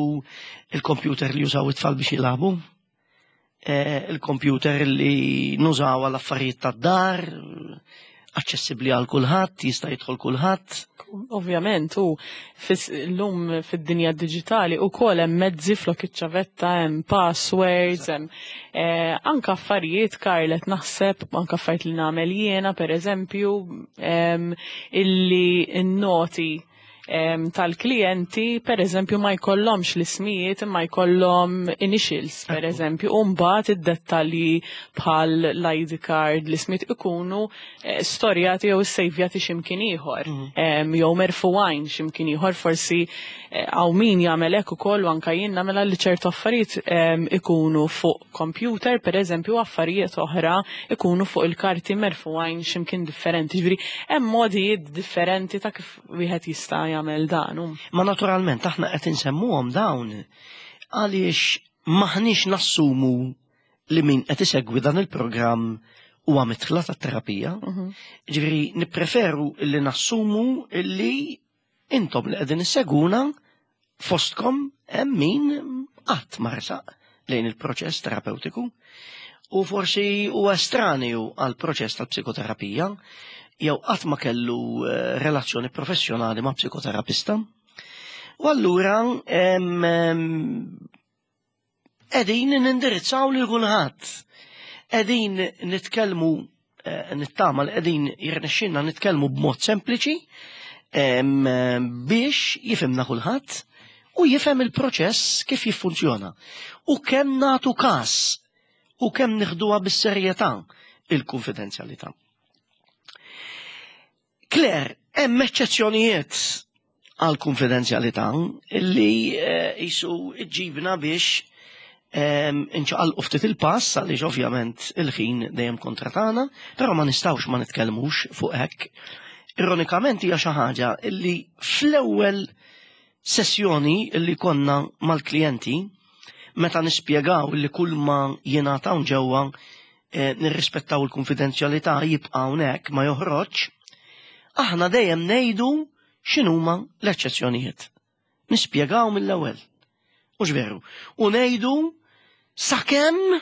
il-computer li jużaw it-tfal biex jilagħbu, il-computer li nużaw għal affarijiet tad-dar, aċċessibbli għal kulħadd, jista' jidħol kulħadd. Ovvjament, u l-lum fid-dinja digitali u kol hemm mezzi flok iċ-ċavetta, hemm passwords, hemm anka affarijiet, Karlet, naħseb, anka affarijiet li nagħmel jiena, per eżempju, illi n-noti tal-klijenti, per eżempju, ma jkollhomx l-ismijiet, ma jkollhom initials, per eżempju, u mbagħad id-dettalji bħal l-I D card, l-ismijiet ikunu storjati jew sejvjati x'imkien ieħor, jew merfuwajn x'imkien ieħor, forsi hawn min jagħmel hekk ukoll u anke jien nagħmilha li ċertu affarijiet ikunu fuq computer, per eżempju, affarijiet oħra ikunu fuq il-karti merfuwajn x'imkien differenti. Ġifieri hemm modijiet differenti ta' kif wieħed jista' jagħmel dan. Ma naturalment aħna qed insemmuhom dawn għaliex maħniex nassumu li min qed isegwi dan il-programm huwa midħla tat-terapija. Ġifieri nippreferu li nassumu li intom li qegħdin isseguna fostkom hemm min qatt ma resaq lejn il-proċess terapeutiku u forsi huwa estranju għal proċess tal-psikoterapija jew qatt ma kellu relazzjoni professjonali ma' psikoterapista. U allura qegħdin nindirizzaw lil kulħadd. Qegħdin nitkellmu, nittama li qegħdin jirnexxinna nitkellmu b'mod sempliċi biex jifhimna kulħadd u jifhem il-proċess kif jiffunzjona. U kemm nagħtu każ u kemm nieħduha bis-serjetà il-konfidenzjalità. Claire, hemm eċċezzjonijiet għal konfidenzjalità li jisu ġibna biex inċaqalqu ftit il-pass għaliex ovvjament il-ħin dejjem kontra tagħna, però ma nistgħux ma nitkellmux fuq hekk. Ironikament hija xi ħaġa li fl-ewwel sessjoni li konna mal-klijenti meta nispjegaw li kull ma jingħataw ġewwa nirrispettaw il-konfidenzjalità jibqa' hawnhekk ma joħroġ, aħna dejjem ngħidu x'inhuma l-eċċezzjonijiet. Nispjegaw mill-ewwel. Mhux veru. U ngħidu sakemm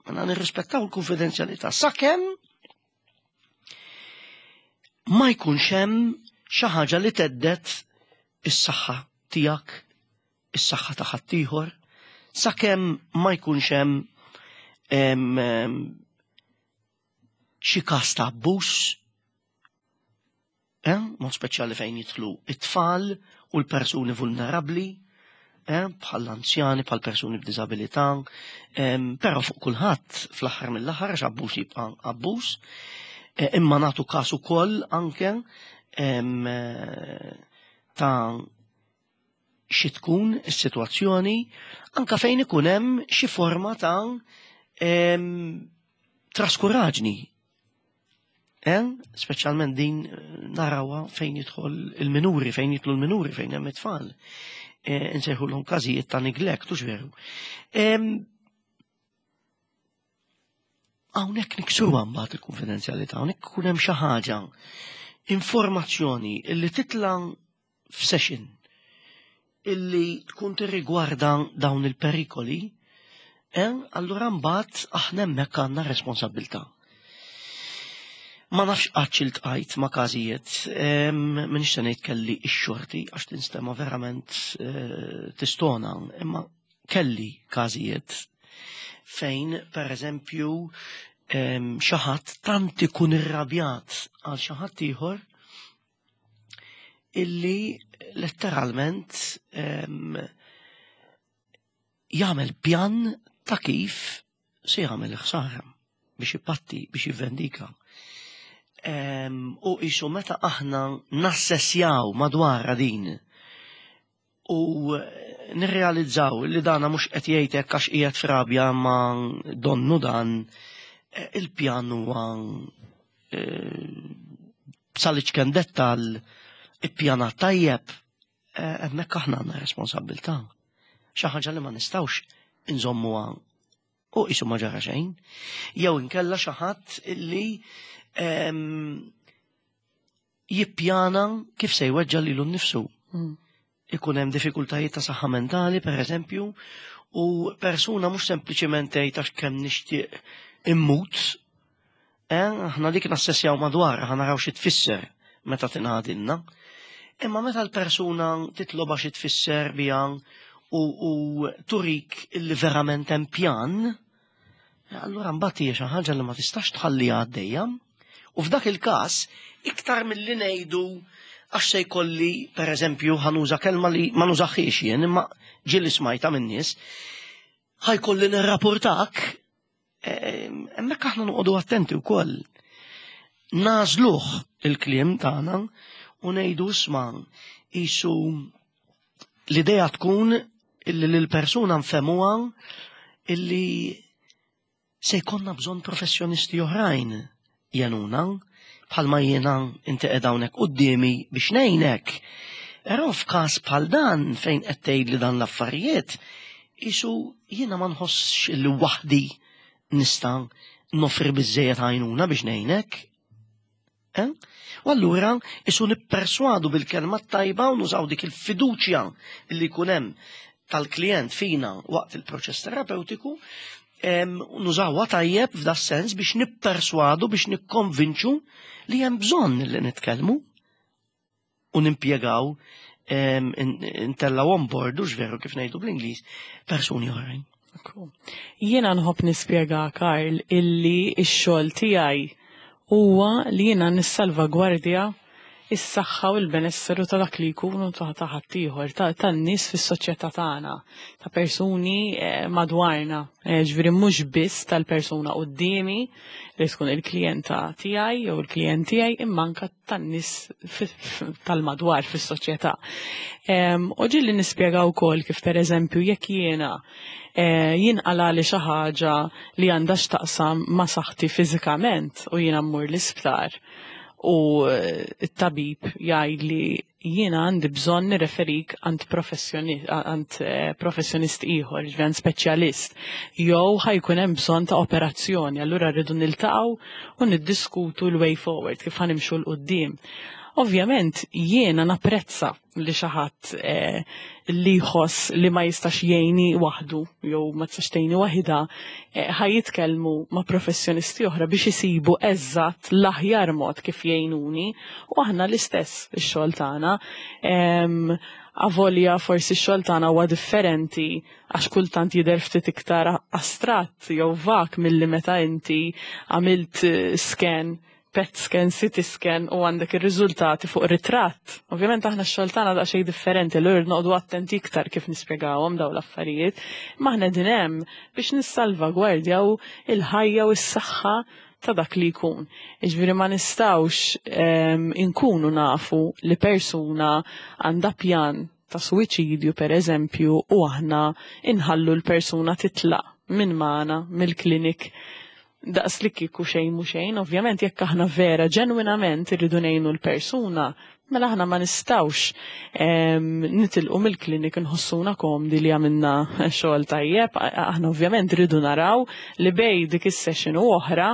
għandna nirrispettaw il-konfidenzjalità, sakemm ma jkunx hemm xi ħaġa li teddet is-saħħa tiegħek, is-saħħa ta' ħaddieħor, sakemm ma jkunx hemm xi każ ta' abbuż, mod speċjali fejn jidħlu it-tfal u l-persuni vulnerabbli, bħal anzjani, bħal persuni b'diżabilità, però fuq kulħadd fl-aħħar mill-aħħar għax abbuż jibqa' abbuż, imma nagħtu każ ukoll anke ta' xi tkun is-sitwazzjoni anke fejn ikun hemm xi forma ta' traskuraġni. Speċjalment din narawha fejn jidħol il-minuri, fejn jidħlu l-minuri, fejn hemm it-tfal. Insejħulhom każijiet ta' neglect, hux veru. Hawnhekk niksruha mbagħad il-konfidenzjalità, hawnhekk ikun hemm xi ħaġa, informazzjoni illi titla' f'session illi tkun tirrigwarda dawn il-perikoli, allura mbagħad aħna hemmhekk għandna responsabbiltà. Ma nafx qatt iltqajt ma' każijiet, m'iniex se ngħid kelli x-xorti għax tinstema' verament tistona, imma kelli każijiet fejn pereżempju xi ħadd tant ikun irrabjat għal xi ħadd ieħor illi letteralment jagħmel pjan ta' kif se jagħmel ħsara biex ipatti, biex jivvendika. U isu meta aħna nassessjaw madwar din u nirrealizzaw li dana mhux qed jgħidlek għax qiegħed f'rabja ma donnu dan eh, il-pjan huwa eh, sal-iċken dettal ippjanat tajjeb, eh, hemmhekk aħna għandna responsabbiltà. Xi ħaġa li ma nistgħux inżommuha u qisu ma ġara xejn. Jew inkella xi ħadd illi ehm, jippjana kif se jweġġa' lilu nnifsu. Mm. Ikun hemm diffikultajiet ta' saħħa mentali, per eżempju, u persuna mhux sempliċement tgħid għax kemm nixtieq immut, eh, aħna dik nassessjaw madwar, aħna naraw xi tfisser meta tingħadilna. Imma meta l-persuna titloba xi tfisser biha u, u turik illi verament hemm pjan, allura mbagħad hija xi ħaġa li ma tistax tħalliha għaddejja. U f'dak il-każ, iktar milli ngħidu għax se jkolli, per eżempju, ħa nuża kelma li ma nużaħiex jien, imma ġieli smajta minn nies, ħa jkolli nirrapportak, eh, hemmhekk aħna noqogħdu attenti wkoll. Nagħżluh il-kliem tagħna u ngħidu isma' qisu l-idea tkun illi l-persuna nfehmuha illi se jkollna bżonn professjonisti oħrajn jgħinuna bħalma jiena inti qed hawnhekk quddiemi biex ngħinek. Però f'każ bħal dan fejn qed tgħid li dan l-affarijiet, qisu jiena ma nħossx li waħdi nista' noffri biżejjed għajnuna biex ngħinek. Eh? U allura qisu nipperswadu bil-kelma tajba u nużaw dik il-fiduċja li jkun hemm tal-klient fina waqt il-proċess terapeutiku, em, nużawha tajjeb f'da sens biex nipperswadu, biex nikkonvinċu li hemm bżonn li nitkellmu u nimpjegaw em, in- intellaw on board, u veru kif ngħidu bl-Ingliż, persuni oħrajn. Jiena nħobb nispjega, Karl, illi x-xogħol tiegħi huwa li jiena nissalvagwardja is-saħħa u l-benesseru ta' dak li jkunu ta' ta' ħaddieħor, ta' tan-nies fis-soċjetà tagħna, ta' persuni eh, madwarna. Eh, Ġifieri mhux biss tal-persuna quddiemi li tkun il-klijenta tiegħi jew il-klijent tiegħi imma anke tan-nies fi- tal-madwar fis-soċjetà. Em, U ġieli nispjega wkoll kif pereżempju jekk jiena eh, jinqala li xi ħaġa li għandha x'taqsam ma' saħħti fiżikament u jiena mmur l-isptar u eh, t-tabib jgħidli jiena għandi bżonn nirreferik għand professjoni- għand eh, professjonist ieħor, ġifieri għand speċjalist, jew ħa jkun hemm bżonn ta' operazzjoni, allura rridu niltaqgħu u niddiskutu l-way forward kif ħa nimxu 'l quddiem. Ovvjament jiena napprezza li xi ħadd eh, li jħoss li ma jistax jgħini waħdu jew ma tistax tgħini waħida eh, ħa jitkellmu ma' professjonisti oħra biex isibu eżatt l-aħjar mod kif jgħinuni u aħna l-istess ix-xogħol tagħna. Em, Avolja forsi x-xogħol tagħna huwa differenti għax kultant jidher ftit iktar astratt jew vag milli meta inti għamilt eh, scan PET scan, CT scan u għandek ir-riżultati fuq ritratt. Ovvjament aħna x-xogħol tagħna daqsxejn differenti, l noqogħdu attenti iktar kif nispjegawhom dawn l-affarijiet. Ma aħna din hemm biex nissalvagwardjaw il-ħajja u s-saħħa ta' dak li jkun. Iġifieri ma nistgħux em, inkunu nafu li persuna għandha pjan ta' suwiċidju per eżempju u aħna inħallu l-persuna titlaq minn magħna mill-klinik daqs li kieku xejn mhu xejn, ovvjament jekk aħna vera ġenwinament irridu ngħinu l-persuna, mela aħna ma nistgħux em, nitilqu mill-klinik nħossuna komdi li għamilna xogħol tajjeb, aħna ovvjament rridu naraw li bejn dik is-session u oħra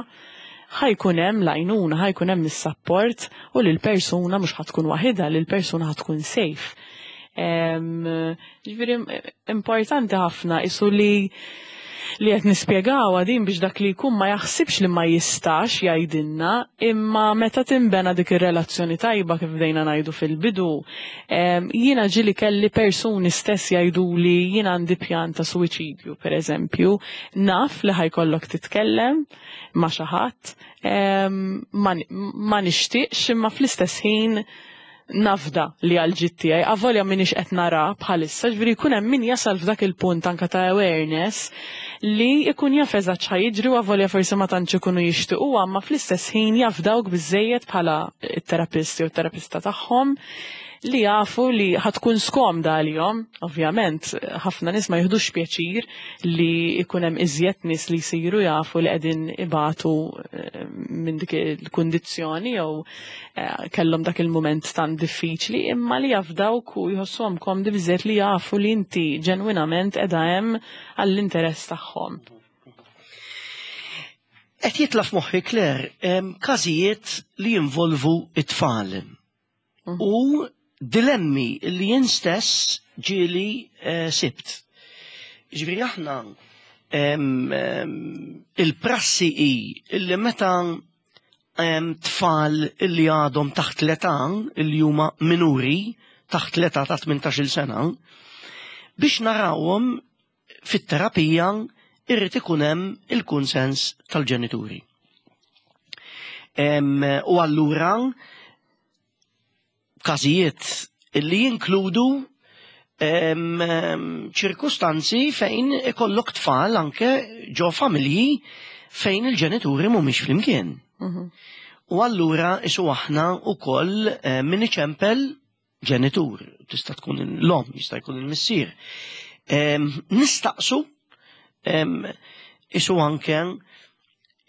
ħa jkun hemm l-għajnuna, ħa jkun hemm is-support u li l-persuna mhux ħa tkun waħidha, li l-persuna ħa tkun safe. Em, Ġifieri importanti ħafna isu li li qed nispjegaw din biex dak li jkun ma jaħsibx li ma jistax jgħidilna, imma meta tinbena dik ir-relazzjoni tajba kif bdejna ngħidu fil-bidu, em, jiena ġieli kelli persuni stess jgħidu li jiena għandi pjan ta' suwiċidju, per eżempju, naf li ħa jkollok titkellem ma' xi ħadd, em, ma ma nixtieqx imma fl-istess ħin nafda li għal tiegħi, avolja minix qed nara bħalissa, ġifieri jkun hemm min jasal f'dak il-punt anka ta' awareness li jkun jaf eżatt x'ħa jiġri u avolja forsi ma tantx ikunu jixtiequha, ma fl-istess ħin jafdawk biżejjed bħala t-terapist jew terapista tagħhom li jafu li ħa tkun skomda għalihom. Ovvjament, ħafna nies ma jiħdux pjaċir li jkun hemm iżjed nies li jsiru jafu li qegħdin ibatu eh, minn dik il-kundizzjoni jew eh, kellhom dak il-mument tant diffiċli, imma li jafdawk u jħossuhom komdi biżejjed li jafu li inti ġenwinament qiegħda hemm għall-interess tagħhom. Qed jitla' f'moħħi, Claire, każijiet li jinvolvu it-tfal. Mm. U dilemmi li jien stess ġieli eh, sibt. Ġifieri aħna il-prassi hi illi meta tfal illi għadhom taħt l-età, illi huma minuri taħt l-età ta' tmintax-il sena, biex narawhom fit-terapija irrid ikun hemm il-kunsens tal-ġenituri. U allura każijiet illi jinkludu ċirkustanzi fejn ikollok tfal anke ġo familji fejn il-ġenituri mhumiex flimkien. Mhm. U allura isu aħna wkoll eh, min iċempel ġenitur, tista' tkun l-omm, jista' jkun il-missier. Nistaqsu isu anke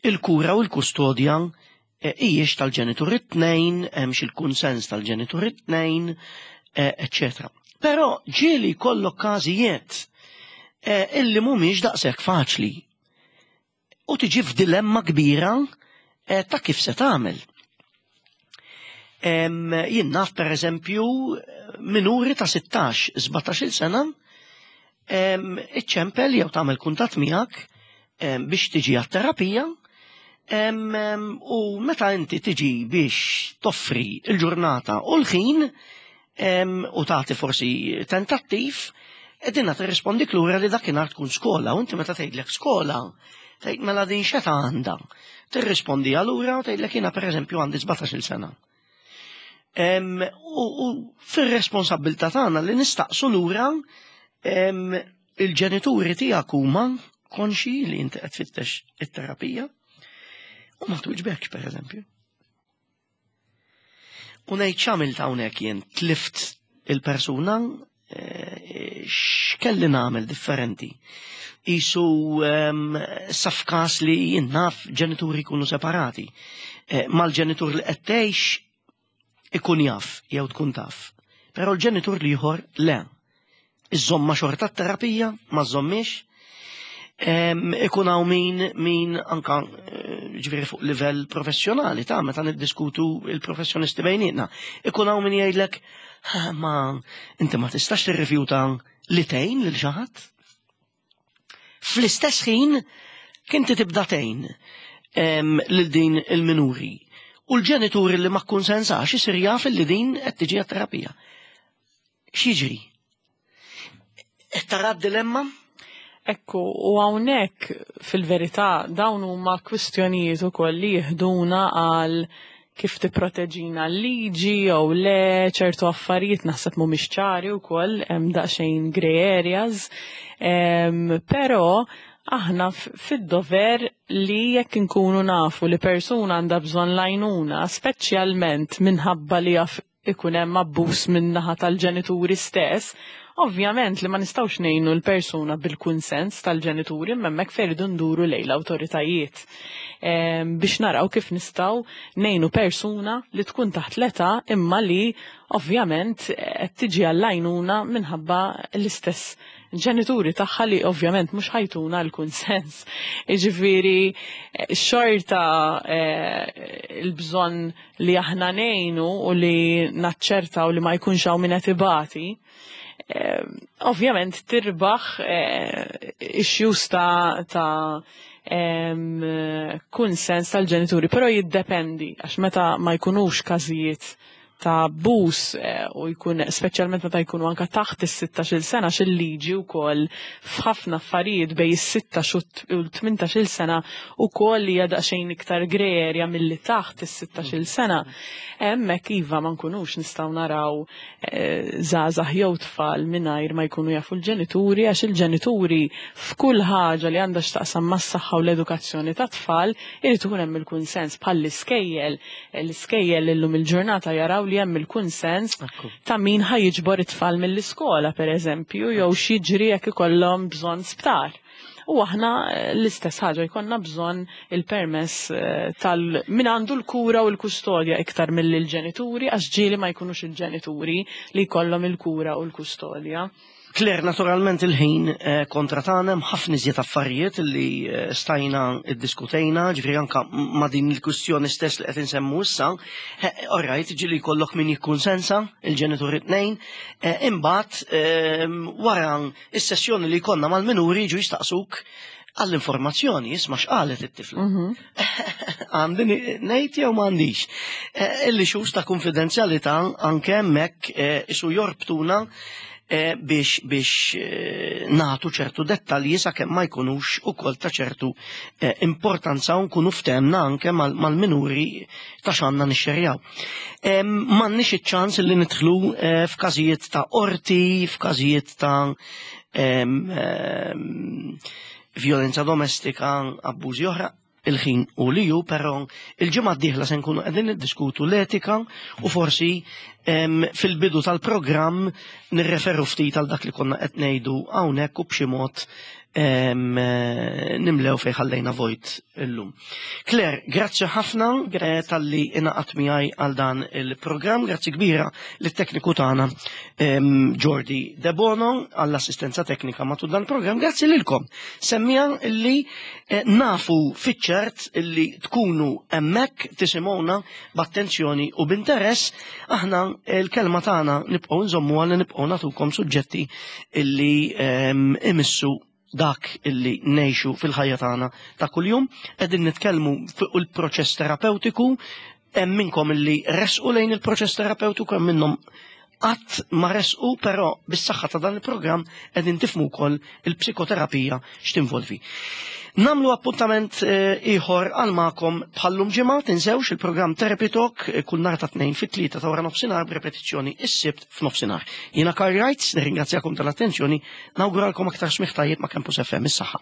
il-kura u l-kustodja eh, hijiex tal-ġenitur it-tnejn, hemmx il-kunsens tal-ġenitur it-tnejn, eccetera. Però ġieli kollok każijiet eh, illi mhumiex daqshekk faċli. U tiġi f'dilemma kbira eh, ta' kif se tagħmel. Jien naf, per eżempju, minuri ta' sittax sbatax-il sena iċċempel jew tagħmel kuntatt miegħek biex tiġi għat-terapija u meta inti tiġi biex toffri il-ġurnata u l-ħin u tagħti forsi tentattiv, edina tirrispondi lura li dakinhar tkun skola, u inti meta tgħidlek skola, tgħid, "Mela din x'età għandha?" Tirrispondi allura u tgħidlek, "Jiena, pereżempju, għandi sbatax-il sena." U fir-responsabbiltà tagħna li nistaqsu lura, il-ġenituri tiegħek huma konxi li inti qed tfittex it-terapija? U ma twiġbekx, pereżempju. U ngħid, x'għamilt hawnhekk jien? Tlift il-persuna? eh, x'kelli nagħmel differenti? Isu sa f'każ li jien naf ġenituri jkunu separati. Eh, mal-ġenitur li qed tgħix ikun jaf jew tkun taf. Però l-ġenitur l-ieħor le. Iżomma xorta terapija, ma żommix. Ikun hawn min min anka eh, ġifieri fuq livell professjonali ta' meta niddiskutu il-professjonisti bejnietna. Ikun hawn min jgħidlek, "Ma inti ma tistax tirrifjuta li tgħin lil xi ħadd." Fl-istess ħin kinti tibda tgħin lil din il-minuri. U l-ġenituri li ma kkunsensax isir jaf li din qed tiġi terapija. X'jiġri? Qed tara d-dilemma? Ekku, u hawnhekk fil-verità dawn huma kwistjonijiet ukoll li jiħduna għal kif tipproteġina l-liġi jew le. Ċertu affarijiet naħseb mhumiex ċari wkoll, hemm daqsxejn grey areas, però aħna fid-dover li jekk inkunu nafu li persuna għandha bżonn l-għajnuna, speċjalment minħabba li jaf ikun hemm abbuż min-naħa tal-ġenituri stess, ovvjament li ma nistgħux ngħinu l-persuna bil-kunsens tal-ġenituri, hemmhekk fejn irridu nduru lejn l-awtoritajiet biex naraw kif nistgħu ngħinu persuna li tkun taħt l-età imma li ovvjament qed tiġi għall-għajnuna minħabba l-istess ġenituri tagħha li ovvjament mhux ħa jtuna l-kunsens. Jiġifieri xorta eh, il-bżonn li aħna ngħinu u li naċċertaw li ma jkunx hawn min qed ibati, eh, ovvjament tirbaħ eh, issues ta' ta' kunsens tal-ġenituri, però jiddependi, għax meta ma jkunux każijiet ta' abbuż eh, u jkun speċjalment meta jkunu anka taħt is-sittax-il sena, xil-liġi wkoll f'ħafna affarijiet bejn is-sittax u l-tmintax-il sena wkoll hija daqsxejn iktar grey area milli taħt is-sittax-il sena. Hemmhekk iva, ma nkunux nistgħu naraw eh, żgħażagħ jew tfal mingħajr ma jkunu jafu l-ġenituri, għax il-ġenituri f'kull ħaġa li għandha x'taqsam mas-saħħa u l-edukazzjoni ta' tfal irid ikun hemm il-kunsens, bħall-iskejjel. L-iskejjel illum il-ġurnata jaraw li hemm il-kunsens ta' min ħa jiġbor it-tfal mill-iskola, per eżempju, jew x'jiġri jekk ikollhom bżonn sptar. U aħna eh, l-istess ħaġa jkollna bżonn il-permess eh, tal min għandu l-kura u l-kustodja iktar mill-ġenituri, għax ġieli ma jkunux il-ġenituri li jkollhom il-kura u l-kustodja. Claire, naturalment il-ħin eh, kontra tagħna, hemm ħafna iżjed affarijiet li eh, stajna iddiskutejna, ġifieri anka ma' din il-kwistjoni stess li qed insemmu issa. All right, ġieli jkollok min jikkunsensa, il-ġenituri tnejn, eh, imbagħad ehm, wara is-sessjoni li jkollna mal-minuri jiġu jistaqsuk għall-informazzjoni, "Isma', x'qalet it-tifla? Għandi ngħid jew m'għandix?" Illi xus ta' konfidenzjalità anke hemmhekk isu jorbtuna eh, biex biex eh, nagħtu ċertu dettalji sakemm ma jkunux ukoll ta' ċertu eh, importanza u nkunu ftehemna anke mal- mal-minuri ta' x'għandna nixxerjaw. Em, M'għandniex iċ-ċans li nidħlu eh, f'każijiet ta' qorti, f'każijiet ta' em, em, violenza domestika, abbużi oħra, il-ħin u li ju, però il-ġimgħa d-dieħla se nkunu qegħdin niddiskutu l-etika u forsi em, fil-bidu tal-programm nirreferu ftit għal dak li konna qed ngħidu hawnhekk u b'xi mod em, eh, nimlew fejn ħallejna vojt illum. Claire, grazzi ħafna eh, talli ingħaqadt miegħi għal dan il-programm, grazzi kbira lit-tekniku tagħna em, Jordi De Bono għall-assistenza teknika matul dan il-programm, grazzi lilkom. Semmiegħa illi eh, nafu fiċ-ċert illi tkunu hemmhekk tisimgħuna b'attenzjoni u b'interess, aħna il-kelma tagħna nibqgħu nżommu għal nibqgħu nagħtukom suġġetti illi em, imissu dak illi ngħixu fil-ħajja tagħna ta' kuljum. Qegħdin nitkellmu fuq il-proċess terapeutiku, hemm minnkom illi resqu lejn il-proċess terapeutiku, hemm minnhom qatt ma resqu, però bis-saħħa ta' dan il-programm qegħdin tifhmu wkoll il-psikoterapija x'tinvolvi. Nagħmlu appuntament eh, ieħor għal magħkom bħallum ġimgħa, tinsewx il-programm Therapy Talk eh, kull nhar ta' tnejn fit-tlieta ta' wara nofsinhar, b'repetizzjoni is-Sibt f'nofsinhar. Jiena Karl Wrights, nirringrazzjakom tal-attenzjoni, nawguralkom aktar smigħ tajjeb ma' Campus F M, is-saħħa.